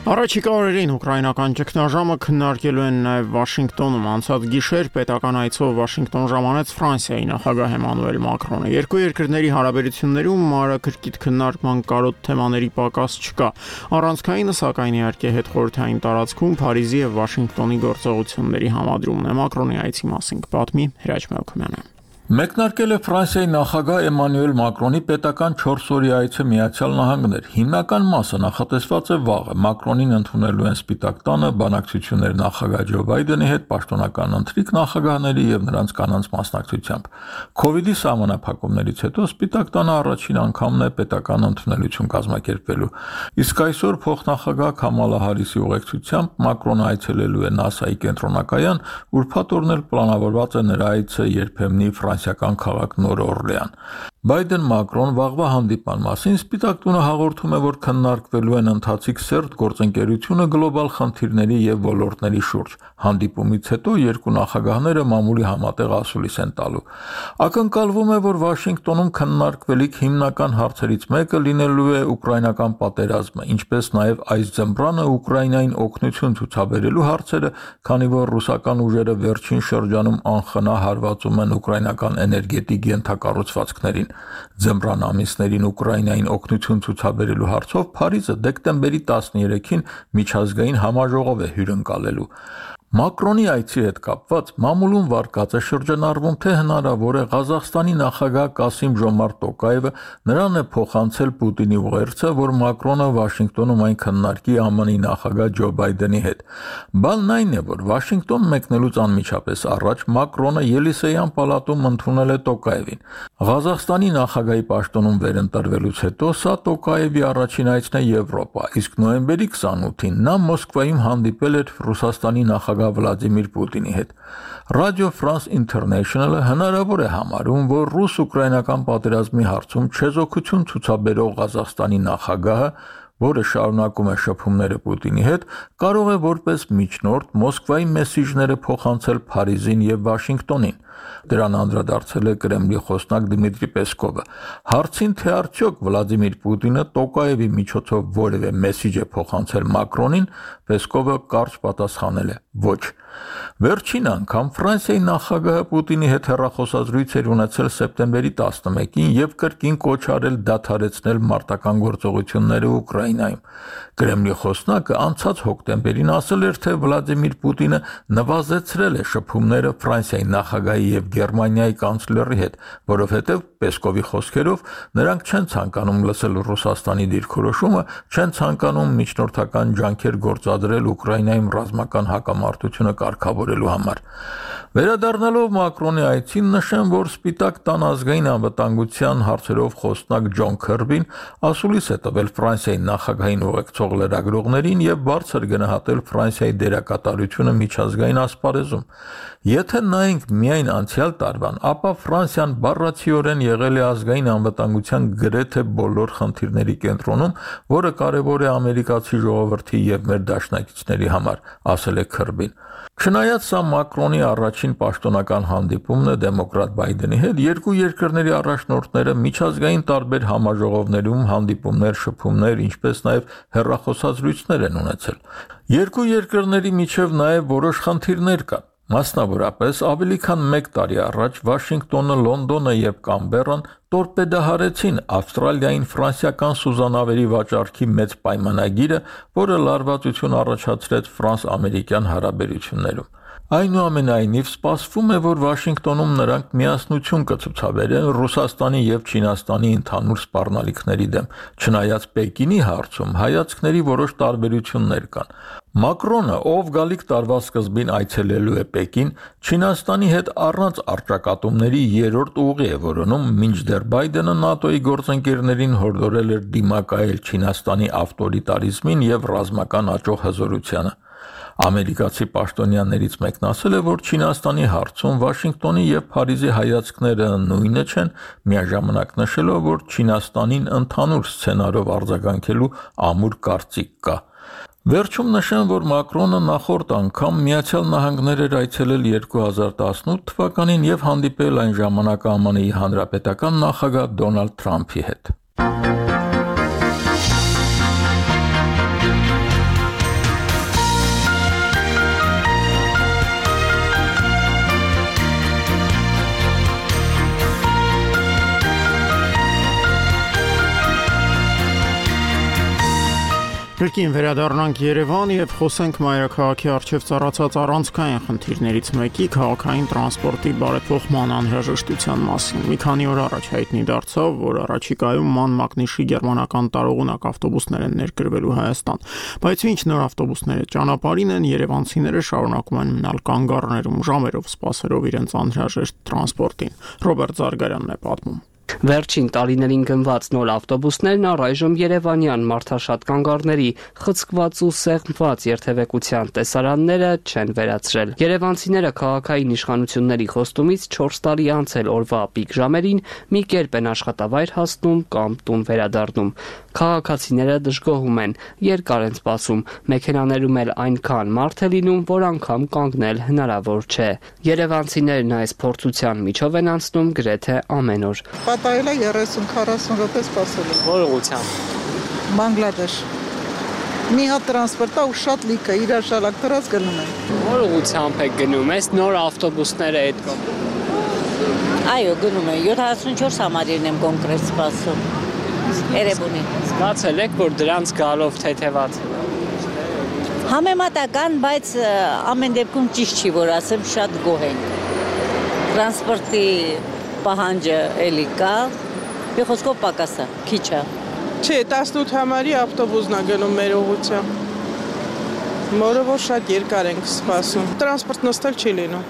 Առաջիկա օրերին ուկրաինական ճգնաժամը քննարկելու են նաև Վաշինգտոնում։ Անցած գիշեր պետական այցով Վաշինգտոն ժամանեց Ֆրանսիայի նախագահ Էմանուել Մակրոնը։ Երկու երկրների հարաբերություններում մանրակրկիտ քննարկման կարոտ թեմաների պակաս չկա։ Առանցքայինը սակայն իհարկե հետխորհրդային տարածքում Փարիզի եւ Վաշինգտոնի գործողությունների համադրումն է։ Մակրոնի այցի մասին կպատմի Հրաչ Մելքումյանը։ Մեկնարկել է Ֆրանսիայի նախագահ Էմանուել Մակրոնի պետական 4 օրյա այցը Միացյալ Նահանգներ։ Հիմնական մասը նախատեսված է վաղը։ Մակրոնին ընդունելու են Սպիտակ տանը բանակցություններ նախագահ Ջո Բայդենի հետ, պաշտոնական ընթրիք նախագահների եւ նրանց կանանց մասնակցությամբ։ Քովիդի սահմանափակումներից հետո Սպիտակ տանը առաջին անգամն է պետական ընդունելություն կազմակերպվելու։ Իսկ այսօր փոխնախագահ Քամալա Հարիսի ուղեկցությամբ Մակրոնը այցելելու է ՆԱՍԱ-ի կենտրոնակայան, ուրբաթ օրն էլ պլանավորված է նրա այցը երբեմնի ֆրանսիական քաղաք Նոր Օրլեան։ Բայդեն-Մակրոն վաղվա հանդիպման մասին Սպիտակ տունը հաղորդում է, որ քննարկվելու են ընթացիկ սերտ գործընկերությունը գլոբալ խնդիրների եւ ոլորտների շուրջ։ Հանդիպումից հետո երկու նախագահները մամուլի համատեղ ասուլիս են տալու։ Ակնկալվում է, որ Վաշինգտոնում քննարկվելիք հիմնական հարցերից մեկը լինելու է ուկրաինական պատերազմը, ինչպես նաեւ այս ձմռանը Ուկրաինային օգնություն ցուցաբերելու հարցերը, քանի որ ռուսական ուժերը վերջին շրջանում անխնա հարվածում են ուկրաինական էներգետիկ ենթակառուցվածքներին։ Ձմռան ամիսներին Ուկրաինային օգնություն ցուցաբերելու հարցով Փարիզը դեկտեմբերի 13-ին միջազգային համաժողով է հյուրընկալելու։ Մակրոնի այցի հետ կապված մամուլում վարկած է շրջանառվում, թե հնարավոր է Ղազախստանի նախագահ Կասիմ Ժոմարտ Տոկաևը նրան է փոխանցել Պուտինի ուղերձը, որ Մակրոնը Վաշինգտոնում այն քննարկի ԱՄՆ-ի նախագահ Ջո Բայդենի հետ։ Բանն այն է, որ Վաշինգտոն մեկնելուց անմիջապես առաջ Մակրոնը Ելիսեյան պալատում ընդունել է Տոկաևին։ Ղազախստանի նախագահի պաշտոնում վերընտրվելուց հետո սա Տոկաևի առաջին այցն է Եվրոպա, իսկ նոյեմբերի 28-ին նա Մոսկվայում հանդիպել էր Ռուսաստանի նախագահ Վլադիմիր Պուտինի հետ։ Radio France International-ը հնարավոր է համարում, որ ռուս-ուկրաինական պատերազմի հարցում չեզոքություն ցուցաբերող Ղազախստանի նախագահը, որը շարունակում է շփումները Պուտինի հետ, կարող է որպես միջնորդ Մոսկվայի մեսիջները փոխանցել Փարիզին եւ Վաշինգտոնին։ Դրան անդրադարձել է Կրեմլի խոսնակ Դմիտրի Պեսկովը։ Հարցին, թե արդյոք Վլադիմիր Պուտինը Տոկաևի միջոցով որևէ մեսիջ է փոխանցել Մակրոնին, Պեսկովը կարճ պատասխանել է. ոչ։ Վերջին անգամ Ֆրանսիայի նախագահը Պուտինի հետ հեռախոսազրույց էր ունեցել սեպտեմբերի 11-ին եւ կրկին կոչ արել դադարեցնել մարտական գործողությունները Ուկրաինայում։ Կրեմլի խոսնակը անցած հոկտեմբերին ասել էր, թե Վլադիմիր Պուտինը նվազեցրել է շփումները Ֆրանսիայի նախագահի Ֆրանսիայի եւ Գերմանիայի կանցլերի հետ, որովհետեւ Պեսկովի խոսքերով նրանք չեն ցանկանում լսել Ռուսաստանի դիրքորոշումը, չեն ցանկանում միջնորդական ջանքեր գործադրել Ուկրաինայում ռազմական հակամարտությունը կարգավորելու համար։ Վերադառնալով Մակրոնի այցին նշեմ, որ Սպիտակ տան ազգային անվտանգության հարցերով խոսնակ Ջոն Քըրբին ասուլիս է տվել Ֆրանսիայի նախագահային ուղեկցող լրագրողներին եւ բարձր գնահատել Ֆրանսիայի դերակատարությունը միջազգային ասպարեզում։ Եթե նայենք միայն անցյալ տարվան, ապա Ֆրանսիան բառացիորեն եղել է ազգային անվտանգության գրեթե բոլոր խնդիրների կենտրոնում, որը կարևոր է ամերիկացի ժողովրդի եւ մեր դաշնակիցների համար, ասել է Քըրբին։ Չնայած սա Մակրոնի առաջին պաշտոնական հանդիպումն է դեմոկրատ Բայդենի հետ, երկու երկրների առաջնորդները միջազգային տարբեր համաժողովներում հանդիպումներ, շփումներ, ինչպես նաև հեռախոսազրույցներ են ունեցել։ Երկու երկրների միջև նաև որոշ խնդիրներ կան։ Մասնավորապես, ավելի քան 1 տարի առաջ Վաշինգտոնը, Լոնդոնը եւ Կամբերան տորպեդահարեցին Ավստրալիային ֆրանսիական սուզանավերի վաճառքի մեծ պայմանագիրը, որը լարվածություն առաջացրեց ֆրանս-ամերիկյան հարաբերություններում։ Այնուամենայնիվ, սպասվում է, որ Վաշինգտոնում նրանք միասնություն կցուցաբերեն Ռուսաստանի եւ Չինաստանի ընդհանուր սպառնալիքների դեմ, չնայած Պեկինի հարցում հայացքների որոշ տարբերություններ կան։ Մակրոնը, ով գալիք տարվա սկզբին այցելելու է Պեկին, Չինաստանի հետ առանց առճակատումների երրորդ ուղի է որոնում, մինչդեռ Բայդենը ՆԱՏՕ-ի գործընկերներին հորդորել էր դիմակայել Չինաստանի ավտորիտարիզմին եւ ռազմական աճող հզորությանը։ Ամերիկացի պաշտոնյաներից մեկն ասել է, որ Չինաստանի հարցում Վաշինգտոնի եւ Փարիզի հայացքները նույնը չեն, միաժամանակ նշելով, որ Չինաստանին ընդհանուր սցենարով արձագանքելու ամուր կարծիք կա։ Վերջում նշեմ, որ Մակրոնը նախորդ անգամ Միացյալ Նահանգներ էր այցելել 2018 թվականին եւ հանդիպել այն ժամանակ ԱՄՆ-ի հանրապետական նախագահ Դոնալդ Թրամփի հետ։ Կրկին վերադառնանք Երևան եւ խոսենք մայրաքաղաքի առջև ծառացած առանցքային խնդիրներից մեկի քաղաքային տրանսպորտի բարեփոխման անհրաժեշտության մասին։ Մի քանի օր առաջ հայտնի դարձավ, որ առաջիկայում ման մագնիշի գերմանական տարողունակ ավտոբուսներ են ներկրվելու Հայաստան, բայց ինչ նոր ավտոբուսները ճանապարհին են, երևանցիները շարունակում են մնալ կանգառներում ժամերով սպասելով իրենց անհրաժեշտ տրանսպորտին։ Ռոբերտ Զարգարյանն է պատմում։ Վերջին տարիներին գնված նոր ավտոբուսներն առայժմ երևանյան մարդաշատ կանգառների խցկված ու սեղմված երթևեկության տեսարանները չեն վերացրել։ Երևանցիները քաղաքային իշխանությունների խոստումից 4 տարի անց էլ օրվա պիկ ժամերին մի կերպ են աշխատավայր հասնում կամ տուն վերադառնում։ Քաղաքացիները դժգոհում են, երկար են սպասում, մեքենաներում էլ այնքան մարդ է լինում, որ անգամ կանգնել հնարավոր չէ։ Երևանցիներն այս փորձության միջով են անցնում գրեթե ամեն օր։ Պատահել է 30-40 րոպե սպասելու։ Որ ուղղությամբ։ Բանգլադեշ։ Մի հատ տրանսպորտա ու շատ լիք է, իրար շալակ դրած գնում են։ Որ ուղղությամբ եք գնում, այս նոր ավտոբուսները այդ կողմ։ Այո, գնում եմ, 74 համարին եմ կոնկրետ սպասում։ Երևանի։ Զգացել եք, որ դրանց գալով թեթևաց։ Համեմատական, բայց ամեն դեպքում ճիշտ չի, որ ասեմ, շատ գոհ ենք։ Տրանսպորտի պահանջը էլի կա, մի խոսքով պակաս է, քիչ է։ Չէ, 18 համարի ավտոբուսն է գնում մեր ուղղությամբ։ Որը որ շատ երկար ենք սպասում։ Տրանսպորտ նստել չի լինում։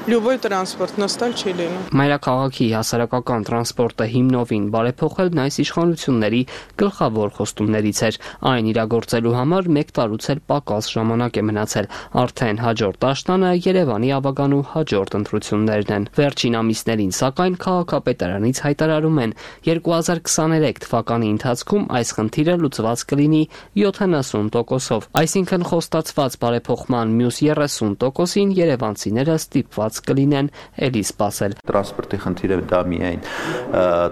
Լյուբոյ տրանսպորտ նստել չի լինում։ Մայրաքաղաքի հասարակական տրանսպորտը հիմնովին բարեփոխելն այս իշխանությունների գլխավոր խոստումներից էր։ Այն իրագործելու համար 1 տարուց էլ պակաս ժամանակ է մնացել։ Արդեն հաջորդ աշնանը Երևանի ավագանու հաջորդ ընտրություններն են։ Վերջին ամիսներին, սակայն, քաղաքապետարանից հայտարարում են 2023 թվականի ընթացքում այս խնդիրը լուծված կլինի 70%-ով։ Այսինքն խոստացված բարեփոխման մյուս 30%-ին երևանցիները ստիպված կլինեն էլի սպասել։ Տրանսպորտի խնդիրը դա միայն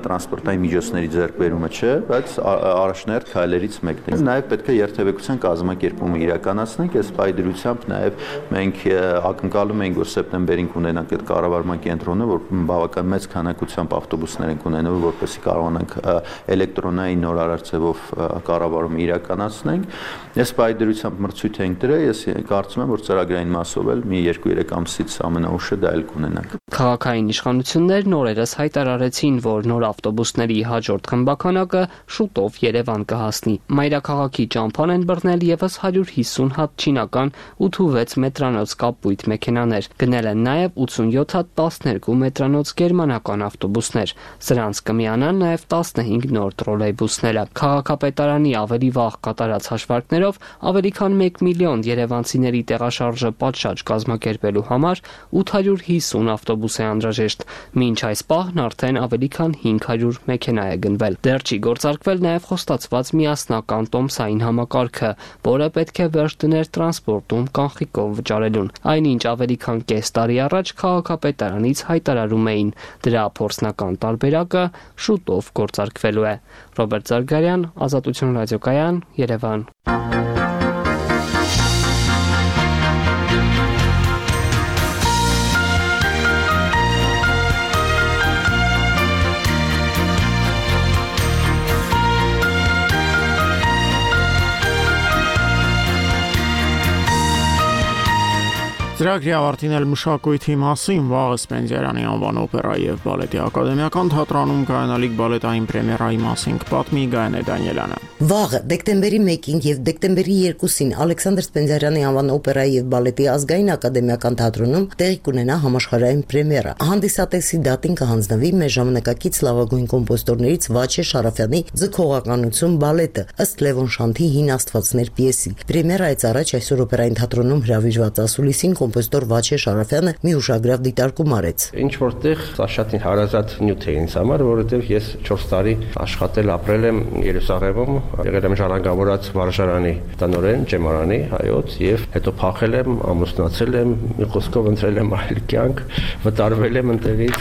տրանսպորտային միջոցների ձեռքբերումը չէ, բայց առաջնահերթ քայլերից մեկն է։ Նաև պետք է երթևեկության կազմակերպումը իրականացնենք, այս պայդրությամբ նաև մենք ակնկալում ենք, որ սեպտեմբերին կունենանք այդ կառավարման կենտրոնը, որ բավական մեծ քանակությամբ ավտոբուսներ են ունենալու, որպեսզի կարողանանք էլեկտրոնային նորարար ձևով կառավարումը իրականացնենք։ Այս պայդրությամբ մրցույթ ենք դրել, ես կարծում եմ, որ ծրագրային մասով էլ մի 2-3 ամսից ամենաուշ ուշը դա էլ կունենանք։ Քաղաքային իշխանություններն օրերս հայտարարեցին, որ նոր ավտոբուսների հաջորդ խմբականակը շուտով Երևան կհասնի։ Մայրաքաղաքի ճամփան են բռնել եւս 150 հատ չինական 8-6 մետրանոց կապույտ մեքենաներ։ Գնել են նաեւ 87 հատ 12 մետրանոց գերմանական ավտոբուսներ։ Սրանց կմիանան նաեւ 15 նոր տրոլեյբուսները։ Քաղաքապետարանի ավելի վաղ կատարած հաշվարկներով ավելի քան 1 միլիոն երևանցիների տեղաշարժը պատշաճ կազմակերպելու համար 850 ավտոբուս է անհրաժեշտ։ Մինչ այս պահն արդեն ավելի քան 500 մեքենա է գնվել։ Դեռ չի գործարկվել նաև խոստացված միասնական տոմսային համակարգը, որը պետք է վերջ դներ տրանսպորտում կանխիկով վճարելուն։ Այնինչ ավելի քան կես տարի առաջ քաղաքապետարանից հայտարարում էին, դրա փորձնական տարբերակը շուտով գործարկվելու է։ Ռոբերտ Զարգարյան, Ազատություն ռադիոկայան, Երևան։ Ծրագրի ավարտին էլ մշակույթի մասին վաղը Սպենդիարյանի անվան օպերայի եւ բալետի ակադեմիական թատրոնում կայանալիք բալետային պրեմիերայի մասին կպատմի Գայանե Դանիելյանը։ Վաղը դեկտեմբերի 1-ին եւ դեկտեմբերի 2-ին Ալեքսանդր Սպենդիարյանի անվան օպերայի եւ բալետի ազգային ակադեմիական թատրոնում տեղի կունենա համաշխարհային պրեմիերա։ Հանդիսատեսի դատին կհանձնվի մեր ժամանակակից լավագույն կոմպոզիտորներից Վաչե Շարաֆյանի «Ձգողականություն» բալետը ըստ Լևոն Շանթի «Հին աստվածներ» պիեսի։ Պրեմիերայից առաջ այսօր օպերային թատրոնում հրավիրված ասուլիսին կոմպոզիտոր Վաչե Շարաֆյանը մի ուշագրավ դիտարկում արեց։ Ինչ որտեղ սա շատ հարազատ նյութ է ինձ համար, որովհետև ես 4 տարի աշխատել ապրել եմ Երուսաղեմում, եղել եմ ժառանգավորած վարժարանի տնօրեն, ջեմարանի, հայոց եւ հետո փախել եմ, ամուսնացել եմ, մի խոսքով ընտրել եմ այլ կյանք, վտարվել եմ ընտեղից,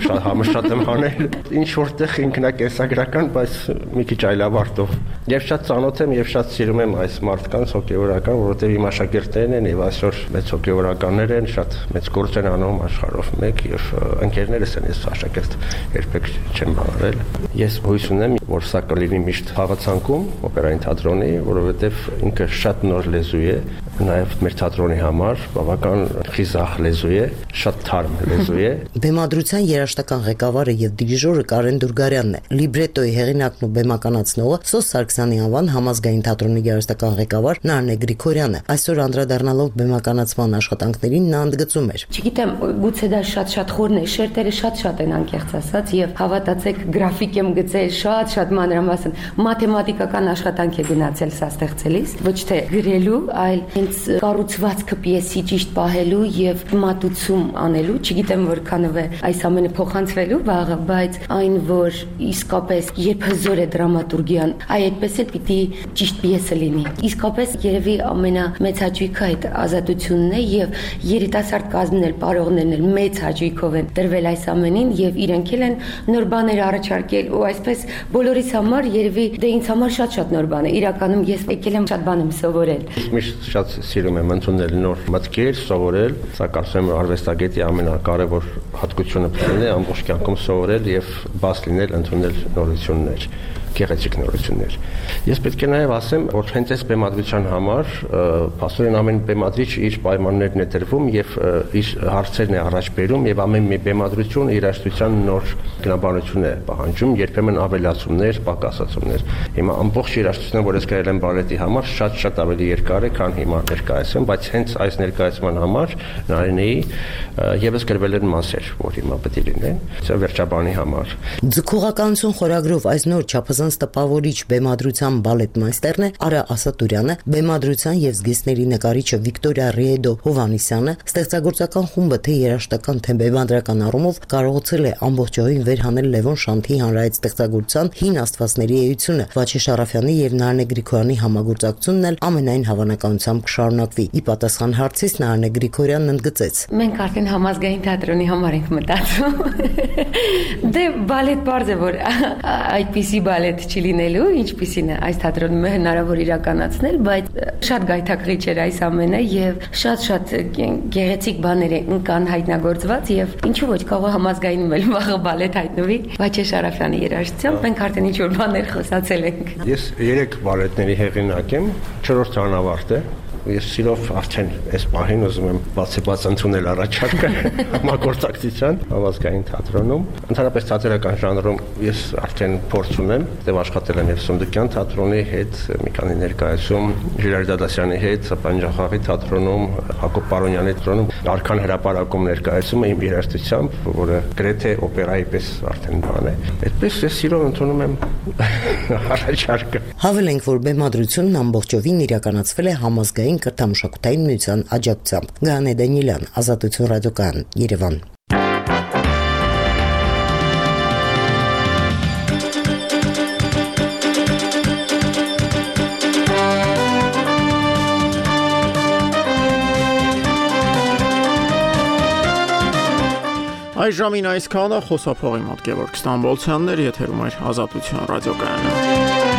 շատ համշատ եմ անել, ինչ որտեղ ինքնակենսագրական, բայց մի քիչ այլավարտով։ Եվ շատ ծանոթ եմ եւ շատ սիրում եմ այս մարդկանց հոգեվորական, որովհետեւ իմ աշակերտներն են եւ այսօր մեծ հոգեվորականներ են, շատ մեծ գործ են անում աշխարհով մեկ եւ ընկերներս են, ես աշակերտ երբեք չեմ բանարել։ Ես հույս ունեմ, որ սա կլինի միշտ խաղացանկում օպերային թատրոնի, որովհետեւ ինքը շատ նոր լեզու է, նաեւ մեր թատրոնի համար բավական խիզախ լեզու է, շատ թարմ լեզու է։ Բեմադրության երաժշտական ղեկավարը եւ դիրիժորը Կարեն Դուրգարյանն է։ Լիբրետոյի հեղինակն ու բեմականացնողը Սոս Սարգսյանի անվան համազգային թատրոնի երաժշտական ղեկավար Նարնե Գրիգորյանը։ Այսօր անդրադառնալով բեմականացման աշխատանքներին նա ընդգծում էր։ Չգիտեմ, գուցե դա շատ խորն է, շերտերը շատ են անկեղծ ասած եւ հավատացեք, գրաֆիկ եմ գծել շատ մանրամասն, մաթեմատիկական աշխատանք է գնացել սա ստեղծելիս, ոչ թե գրելու, այլ հենց կառուցվածքը պիեսի ճիշտ պահելու եւ մատուցում անելու, չգիտեմ որքանով է այս ամենը փոխանցվելու վաղը, բայց այն որ իսկապես երբ հզոր է դրամատուրգիան, այդպես էլ պիտի ճիշտ պիեսը լինի։ Իսկապես երևի ամենամեծ հաճույքը այդ ազատությունն է եւ երիտասարդ կազմն էլ պարողներն էլ մեծ հաճույքով են դրվել այս ամենին եւ իրենք էլ են նոր բաներ առաջարկել ու այսպես բոլորիս համար երևի դե ինձ համար շատ նոր բան է։ Իրականում ես եկել եմ շատ բան եմ սովորել։ Միշտ շատ սիրում եմ ընդունել նոր մտքեր, սովորել, սա կարծում եմ արվեստագետի ամենակարևոր հատկությունը պետք է ամբողջ կյանքում սովորել եւ բաց լինել ընդունել նորություններ, գեղեցիկ նորություններ։ Ես պետք է նաև ասեմ, որ հենց այս բեմադրության համար փաստորեն ամեն բեմադրիչ իր պայմաններն է դրվում եւ իր հարցերն է առաջ բերում եւ ամեն մի բեմադրություն երաժշտության նոր գնաբանություն է պահանջում, երբեմն ավելացումներ, պակասացումներ։ Հիմա ամբողջ երաժշտությունը, որ ես գրել եմ բալետի համար, շատ ավելի երկար է, քան հիմա ներկայացում, բայց հենց այս ներկայացման համար Նարինեի եւս գրվել են մասեր, որ հիմա պետք է լինեն, վերջաբանի համար։ Ձգողականություն խորագրով այս նոր չափազանց տպավորիչ բեմադրության բալետմայստերն է Արա Ասատուրյանը, բեմադրության եւ զգեստների նկարիչը Վիկտորիա Ռիեդո Հովանիսյանը, ստեղծագործական խումբը թե երաժշտական, թե բեմադրական առումով կարողացել է ամբողջովին վերհանել Լևոն Շանթի հանրայից ստեղծագործության հին աստվածների էությունը։ Վաչե Շարաֆյանի եւ Նարնե Գրիգորյանի համագործակցությունն էլ ամենայն հավանականությամբ կշարունակվի։ Ի պատասխան հարցից Նարնե Գրիգորյանն ընդգծեց. Մենք արդեն համազգային թատրոնի համար ենք մտածում։ Դե բալետ բարձ է, որ այդպիսի բալետ չի լինելու, ինչպիսին է այս թատրոնում հնարավոր իրականացնել, բայց շատ գայթակղիչ էր այս ամենը եւ շատ գեղեցիկ բաներ կան հայտնագործված եւ ինչու ոչ կարող համազգայինում էլ վաղը բալետ հայտնվի Վաչե Շարաֆյանի երաժշտությամբ, մենք արդեն ինչ-որ բաներ խոսացել ենք։ Ես 3 բալետների հեղինակ եմ, 4-րդ անավարտ է, ես սիրով արդեն այս պահին ուզում եմ բացի ընդունել առաջարկը համագործակցության Համազգային թատրոնում։ Ընդհանրապես թատերական ժանրում ես արդեն փորձ ունեմ, դեռ աշխատել եմ եւ Սունդուկյան թատրոնի հետ, մի քանի ներկայացում, Ժիրայր Դադասյանի հետ, Պանջախաղի թատրոնում, Հակոբ Պարոնյանի թատրոնում, Արքան հրապարակում ներկայացումը իմ երաժշտությամբ, որը գրեթե օպերայի պես արդեն բան է։ Այդպես ես սիրով ընդունում եմ առաջարկը։ Հավելենք, որ բեմադրությունն ամբողջովին իրականացվել է Համազգային կրթամշակութային միության աջակցությամբ։ Գայանե Դանիելյան, Ազատություն ռադիոկայան, Երևան։ Այժմին այսքանը խոսափողի մոտ Գևորգ Ստամբոլցյանն էր, եթերում էր Ազատություն ռադիոկայանը։